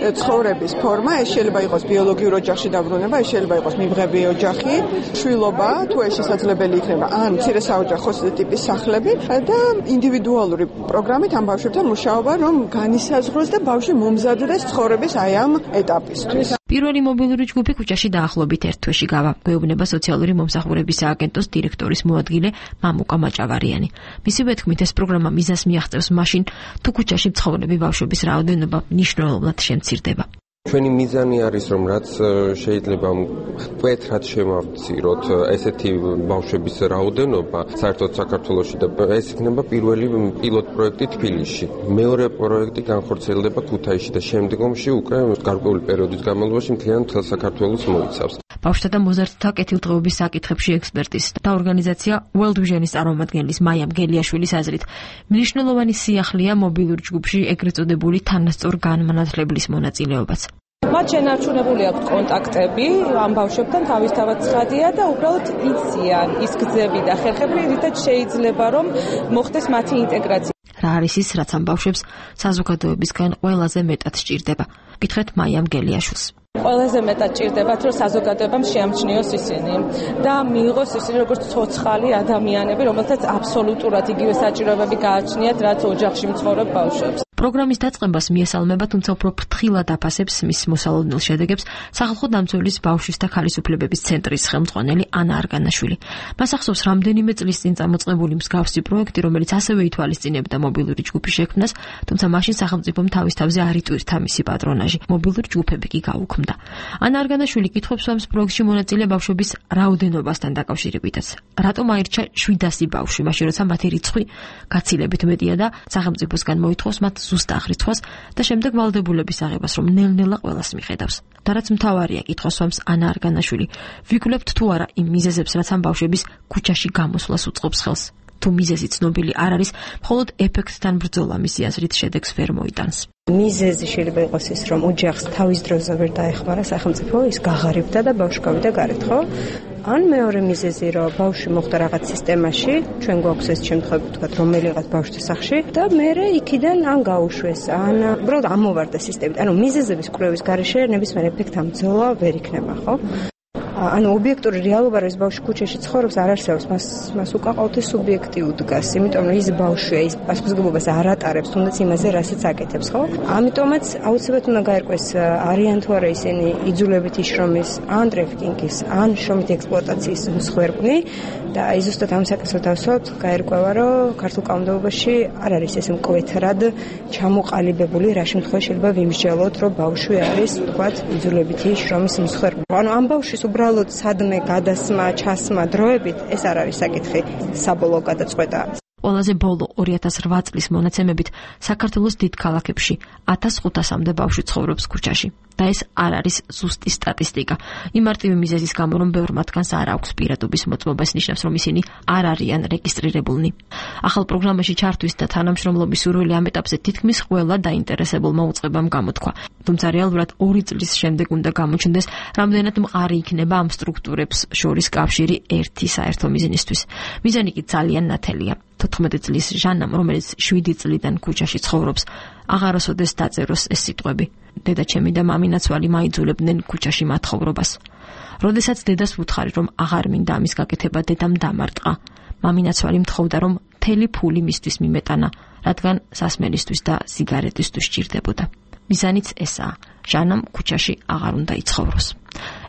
ცხოვრების ფორმა, ეს შეიძლება იყოს ბიოლოგიურ ოჯახში დაბრუნება, ეს შეიძლება იყოს მიბღები ოჯახი, შვილობა, თუ ეს შესაძლებელი იქნება, ან მცირე საოჯახო ტიპის სახლები და ინდივიდუალური პროგრამით ამ ბავშვებთან მუშაობა, რომ განისაზღვროს და ბავშვი მომზადდეს ცხოვრების აი ამ ეტაპისთვის. პირველი მობილური ჯგუფი ქუჩაში დაახლოებით ერთ თვეში გავა. გვეუბნება სოციალური მომსახურების სააგენტოს დირექტორის მოადგილე მამუკა მაჭავარიანი. მისივე თქმით, ეს პროგრამა მიზანს მიაღწევს მაშინ, თუ ქუჩაში მცხოვრები ბავშვების რაოდენობა მნიშვნელოვნად შემცირდება. ჩვენი მიზანი არის, რომ რაც შეიძლება მკვეთრად შემავციროთ ესეთი ბავშვების რაოდენობა საერთოდ საქართველოში და ეს იქნება პირველი პილოტ პროექტი თბილისში. მეორე პროექტი განხორციელდება ქუთაისში და შემდგომში უკვე გარკვეული პერიოდის განმავლობაში მთლიან მთელ საქართველოს მოიცავს. ბავშვთა და მოზარდთა კეთილდღეობის საკითხებში ექსპერტის და ორგანიზაცია World Vision-ის წარმომადგენლის მაია მგელიაშვილის აზრით, მნიშვნელოვანი სიახლეა მობილურ ჯგუფში ეგრეთ წოდებული თანასწორ განმანათლებლის მონაწილეობაც. მათ შენარჩუნებული აქვს კონტაქტები ამ ბავშვებთან თავისთავად ცხადია და უბრალოდ იციან ის გზები და ხერხები, რითაც შეიძლება რომ მოხდეს მათი ინტეგრაცია. რა არის ის, რაც ამ ბავშვებს საზოგადოებისგან ყველაზე მეტად სჭირდება? გითხრეთ მაია მგელიაშვილს. ყველაზე მეტად ჭირდებათ, რომ საზოგადოებამ შეამჩნიოს ისინი და მიიღოს ისინი როგორც ცოცხალი ადამიანები, რომელთაც აბსოლუტურად იგივე საჭიროებები გააჩნიათ, რაც ოჯახში მცხოვრებ ბავშვებს. პროგრამის დაწყებას მიესალმება, თუმცა უფრო ფრთხილად აფასებს მის მოსალოდნელ შედეგებს სახალხო დამცველის ბავშვის და ქალის უფლებების ცენტრის ხელმძღვანელი ანა არგანაშვილი. მას ახსოვს რამდენიმე წლის წინ წამოწყებული მსგავსი პროექტი, რომელიც ასევე ითვალისწინებდა მობილური ჯგუფის შექმნას, თუმცა მაშინ სახელმწიფომ თავის თავზე არ იტვირთა მისი პატრონაჟი. მობილური ჯგუფები კი გაუქმდა. ანა არგანაშვილი კითხვებს უსვამს პროექტში მონაწილე ბავშვების რაოდენობასთან დაკავშირებითაც. რატომ აირჩა 700 ბავშვი, მაშინ როცა მათი რიცხვი გაცილებით მეტია და სახელმწიფოსგან მოითხოვს მათ ზუსტ აღრიცხვას და შემდეგ ვალდებულების აღებას, რომ ნელ-ნელა ყველას მიხედავს. და რაც მთავარია, კითხვას უსვამს ანა არგანაშვილი, ვიკლებთ თუ არა იმ მიზეზებს, რაც ამ ბავშვების ქუჩაში გამოსვლას უწყობს ხელს. თუ მიზეზი ცნობილი არ არის, მხოლოდ ეფექტთან ბრძოლა მისი აზრით შედეგს ვერ მოიტანს. მიზეზი შეიძლება იყოს ის, რომ ოჯახს თავის დროზე ვერ დაეხმარა სახელმწიფო, ის გაღარიბდა და ბავშვი გავიდა გარეთ, ხო? ან მეორე მიზეზი, რომ ბავშვი მოხვდა რაღაც სისტემაში, ჩვენ გვაქვს ეს შემთხვევები, ვთქვათ, რომელიღაც ბავშვთა სახლში და მერე იქიდან ან გაუშვეს, ან უბრალოდ ამოვარდა სისტემით. ანუ მიზეზების კვლევის გარეშე ნებისმიერ ეფექტთან ბრძოლა ვერ იქნება, ხო? ანუ ობიექტური რეალობა, რომ ეს ბავშვი ქუჩაში ცხოვრობს, არ არსებობს, მას უკაყავთ სუბიექტი უდგას, იმიტომ რომ ის ბავშვია, ის პასუხისმგებლობას არ ატარებს, თუნდაც იმაზე, რასაც აკეთებს, ხო? ამიტომაც აუცილებლად უნდა გაერკვეს, არიან თუ არა ისინი იძულებითი შრომის, ან ტრაფიკინგის, ან შრომითი ექსპლუატაციის მსხვერპლი და აი ზუსტად ამ საკითხს დავსვათ, გაერკვევა, რომ ქართულ კანონმდებლობაში არ არის ეს მკვეთრად ჩამოყალიბებული, რა შემთხვევაში შეიძლება ვიმსჯელოთ, რომ ბავშვი არის, ვთქვათ, იძულებითი შრომის მსხვერპლი. ანუ ამ ბავშვის უბრალოდ სადმე გადასმა, ჩასმა დროებით ეს არ არის საკითხი, საბოლოო გადაწყვეტა. ყველაზე ბოლო 2008 წლის მონაცემებით საქართველოს დიდ ქალაქებში 1500-მდე ბავშვი ცხოვრობს ქუჩაში. და ეს არ არის ზუსტი სტატისტიკა. იმ მარტივი მიზეზის გამო, რომ ბევრ მათგანს არ აქვს პირადობის მოწმობა, ეს ნიშნავს, რომ ისინი არ არიან რეგისტრირებულნი. ახალ პროგრამაში ჩართვის და თანამშრომლობის სურვილი ამ ეტაპზე თითქმის ყველა დაინტერესებულმა უწყებამ გამოთქვა. თუმცა რეალურად 2 წლის შემდეგ უნდა გამოჩნდეს, რამდენად მყარი იქნება ამ სტრუქტურებს შორის კავშირი ერთი საერთო მიზნისთვის. მიზანი კი ძალიან ნათელია. 14 წლის ჟანამ, რომელიც 7 წლიდან ქუჩაში ცხოვრობს, აღარასოდეს დაწეროს ეს სიტყვები. დედაჩემი და მამინაცვალი მაიძულებდნენ ქუჩაში მათხოვრობას. როდესაც დედას უთხარი, რომ აღარ მინდა ამის გაკეთება, დედამ დამარტყა. მამინაცვალი მთხოვდა, რომ მთელი ფული მისთვის მიმეტანა, რადგან სასმელისთვის და სიგარეტისთვის სჭირდებოდა. მიზანიც ესაა. ჟანამ ქუჩაში აღარ უნდა იცხოვროს.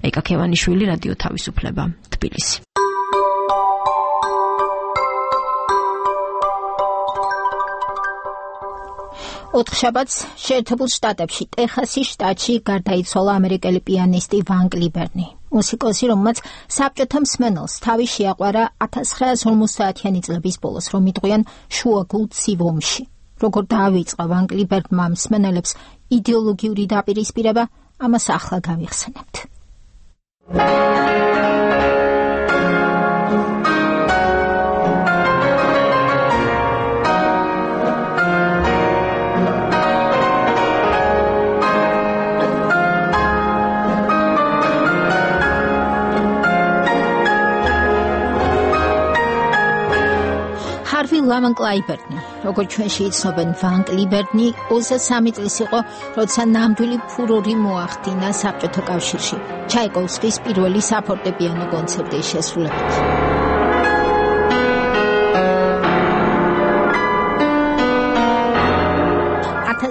ეკა ქევანიშვილი, რადიო თავისუფლება, თბილისი. ოთხშაბათს შეერთებულ შტატებში ტეხასის შტატში გარდაიცვალა ამერიკელი პიანისტი ვან კლიბერნი. მუსიკოსი, რომელმაც საბჭოთა მსმენელს თავი შეაყვარა 1950-იანი წლების ბოლოს, რომ იტყვიან შუაგულ ცივ-ომში. როგორ დაავიწყა ვან კლიბერნმა მსმენელებს იდეოლოგიური დაპირისპირება, ამას ახლა გავიხსენებთ. ლამან კლაიბერნი, როგორც ჩვენში იცნობენ, ვან კლაიბერნი 23 წლის იყო, როცა ნამდვილი ფურორი მოახდინა საბჭოთა კავშირში ჩაიკოვსკის პირველი საფორტეპიანო კონცერტის შესრულებით.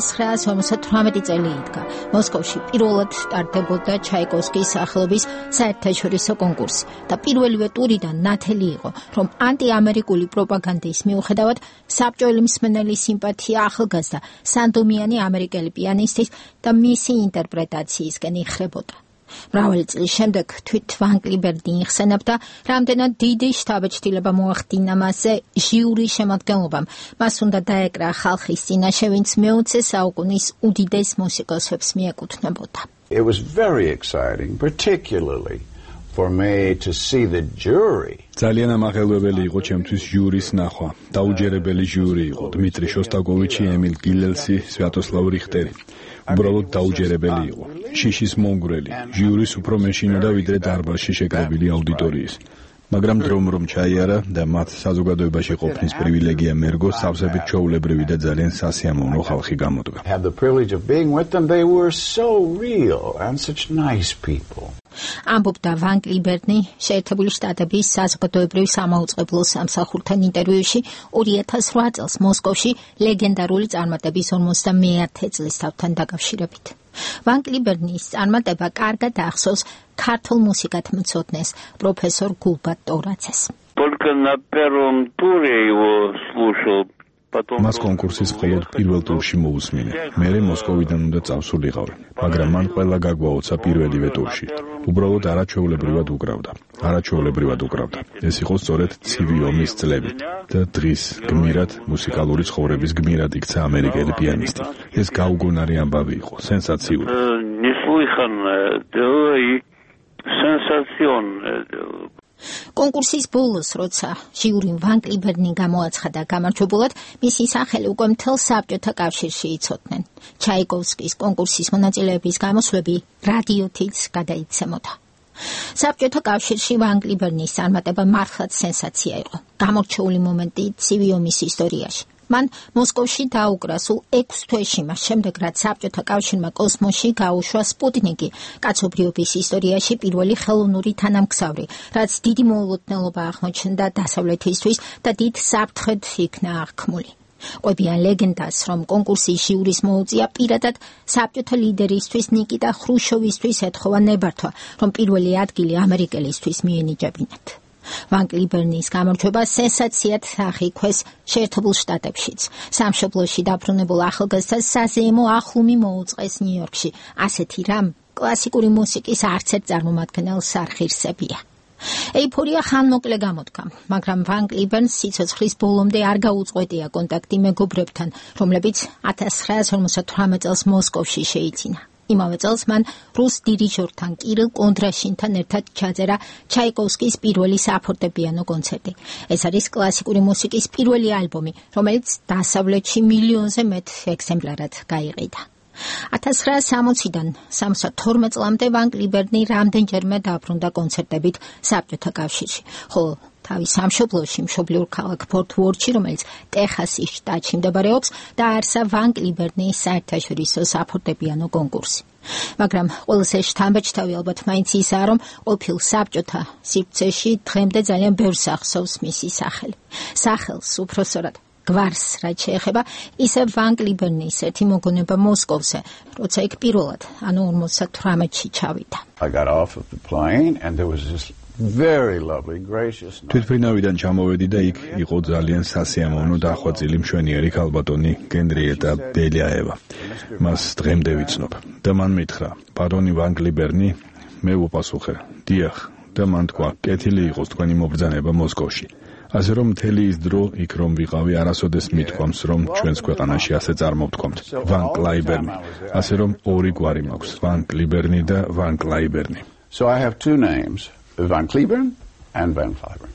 1958 წელი იდგა. მოსკოვში პირველად სტარტდებოდა ჩაიკოვსკის სახელობის საერთაშორისო კონკურსი და პირველივე ტურიდან ნათელი იყო, რომ ანტიამერიკული პროპაგანდის მიუხედავად საბჭოელი მსმენელი სიმპათია ახალგაზრდა სანდომიანი ამერიკელი პიანისტის და მისი ინტერპრეტაციისკენ იხრებოდა. მრავალი წლის შემდეგ თვით ვან კლაიბერნი იხსენებდა, რამდენად დიდი შთაბეჭდილება მოახდინა მასზე ჟიურის შემადგენლობამ. მას უნდა დაეკრა ხალხის წინაშე, ვინც მე-20 საუკუნის უდიდეს მუსიკოსებს მიეკუთვნებოდა. It was very exciting, particularly for me to see the jury. ძალიან ამაღელვებელი იყო ჩემთვის ჟიურის ნახვა. დაუჯერებელი ჟიური იყო დმიტრი შოსტაკოვიჩი, ემილ გილელსი, სვიატოსლავ რიხტერი. უბრალოდ დაუჯერებელი იყო. შიშის მომგვრელი, ჟიურის უფრო მეშინოდა ვიდრე დარბაზში შეკრებილი აუდიტორიის. მაგრამ დრომ რომ ჩაიარა და მათ საზოგადოებაში ყოფნის პრივილეგია მერგო, სავსებით ჩვეულებრივი და ძალიან სასიამოვნო ხალხი გამოდგა. Had the privilege of being with them. They were so real and such nice people. ამბობდა ვან კლაიბერნი შეერთებული შტატების საზოგადოებრივ სამაუწყებლო სამსახურთან ინტერვიუში 2008 წელს მოსკოვში ლეგენდარული წარმატების 51 წლის თავთან დაკავშირებით. ვან კლაიბერნის წარმატება კარგად ახსოვს ქართულ მუსიკათმცოდნეს პროფესორ გულბატ ტორაცეს. Только на первом туре его слушал. მას კონკურსის მხოლოდ პირველ ტურში მოусმინე. მერე მოსკოვიდან უნდა წავსულიყავი, მაგრამ მან ყველა გაგვაოცა პირველივე ტურში. უბრალოდ არაჩვეულებრივად უკრავდა. ეს იყო სწორედ ცივი ომის წლები და დღის გმირად მუსიკალური ცხოვრების გმირად იქცა ამერიკელი პიანისტი. ეს გაუგონარი ამბავი იყო, სენსაციური. კონკურსის ბოლოს, როცა ჟიურიმ ვან კლაიბერნი გამოაცხადა გამარჯვებულად, მისი სახელი უკვე მთელ საბჭოთა კავშირში იცოდნენ. ჩაიკოვსკის კონკურსის მონაწილეების გამოსვლები რადიოთიც გადაიცემოდა. საბჭოთა კავშირში ვან კლაიბერნის წარმატება მართლაც სენსაცია იყო. გამორჩეული მომენტი ცივი ომის ისტორიაში. მან მოსკოვში დაუკრა სულ 6 თვეში მას შემდეგ, რაც საბჭოთა კავშირმა კოსმოსში გაუშვა სპუტნიკი, კაცობრიობის ისტორიაში პირველი ხელოვნური თანამგზავრი, რაც დიდი მოულოდნელობა აღმოჩნდა დასავლეთისთვის და დიდ საფრთხედ იქნა აღქმული. ყვებიან ლეგენდას, რომ კონკურსის ჟიურის მოუწია პირადად საბჭოთა ლიდერისთვის ნიკიტა ხრუშოვისთვის ეთხოვა ნებართვა, რომ პირველი ადგილი ამერიკელისთვის მიენიჭებინათ. ვან კლაიბერნის გამარჯვება სენსაციად აღიქვეს შეერთებულ შტატებშიც. სამშობლოში დაბრუნებულ ახალგაზრდას საზეიმო ახლუმი მოუწყეს ნიუ-იორკში. ასეთი რამ კლასიკური მუსიკის არც ერთ წარმომადგენელს არ ღირსებია. ეიფორია ხანმოკლე გამოდგა, მაგრამ ვან კლაიბერნს სიცოცხლის ბოლომდე არ გაუწყვეტია კონტაქტი მეგობრებთან, რომლებიც 1958 წელს მოსკოვში შეიძინა. იმავე წელს მან რუს დირიჟორთან კირილ კონდრაშინთან ერთად ჩაწერა ჩაიკოვსკის პირველი საფორტეპიანო კონცერტი. ეს არის კლასიკური მუსიკის პირველი ალბომი, რომელიც დასავლეთში მილიონზე მეტ ეგზემპლარად გაიყიდა. 1960-დან 72 წლამდე ვან კლაიბერნი რამდენჯერმე დაბრუნდა კონცერტებით საბჭოთა კავშირში, ხოლო თავის სამშობლოში, მშობლიურ ქალაქ ფორტ ვორთში, რომელიც ტეხასის შტატში მდებარეობს, დააარსა ვან კლაიბერნის საერთაშორისო საფორტეპიანო კონკურსი. მაგრამ ყველაზე შთამბეჭდავი ალბათ მაინც ისაა, რომ ყოფილ საბჭოთა სივრცეში დღემდე ძალიან ბევრს ახსოვს მისი სახელი. სახელს უпроსორად გვარს რაც შეეხება, ისე ვან კლაიბერნის ერთი მოგონება მოსკოვზე, როცა იქ პირველად, ანუ 58-ში ჩავიდა. I got off of the plane and there was this very lovely, gracious. თვითფრინავიდან ჩამოვედი და იქ იყო ძალიან სასიამოვნო და ახვაწილი მშვენიერი ქალბატონი გენრიეტა ბელიაევა. მას დღემდე ვიცნობ და მან მითხრა, ბატონი ვან კლაიბერნი, მე ვუპასუხე, დიახ, და მან თქვა, კეთილი იყოს თქვენი მობრძანება მოსკოვში. ასე რომ მთელი ის დრო იქ რომ ვიყავი, არასოდეს მithქვამს, რომ ჩვენს ქვეყანაში ასე წარმოვთქვამთ, ვან კლაიბერნი. ასე რომ ორი გვარი მაქვს, ვან კლაიბერნი და ვან კლაიბერნი. So I have two names, Van Cliburn and Van Cliburn.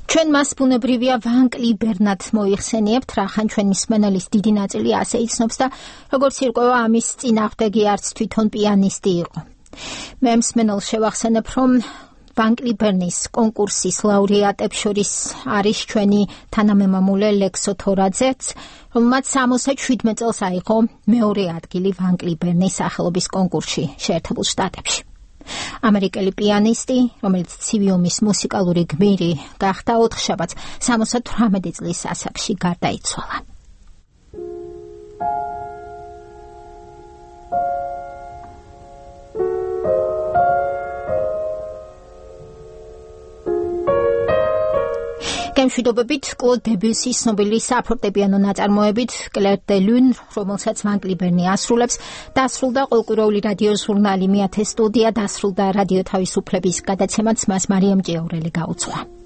ჩვენ მას ბუნებრივია ვან კლიბერნად მოიხსენიებთ, რახან ჩვენ მსმენელის დიდი ნაწილი ასე იცნობს და როგორც ირკვევა ამის წინააღმდეგი არც თვითონ პიანისტი იყო. მე მსმენელს შევახსენებ, რომ ვან კლიბერნის კონკურსის ლაურეატებს შორის არის ჩვენი თანამემამულე ლექსო თორაძეც, რომელმაც 67 წელს აიღო მეორე ადგილი ვან კლიბერნის სახელობის კონკურსში შეერთებულ შტატებში. ამერიკელი პიანისტი, რომელიც ცივი ომის მუსიკალური გმირი გახდა, 4 შაბათს 78 წლის ასაკში გარდაიცვალა. გემშვიდობებით კლოდ დებიუსის ცნობილი საფორტეპიანო ნაწარმოებით კლერ დე ლუნ, რომელსაც ვან კლიბერნი ასრულებს, დასრულდა ყოველკვირეული რადიო ჟურნალი 1000 სტუდია, დასრულდა რადიო თავისუფლების გადაცემაც მას მარიამ ჭიაურელი გაუძღვა.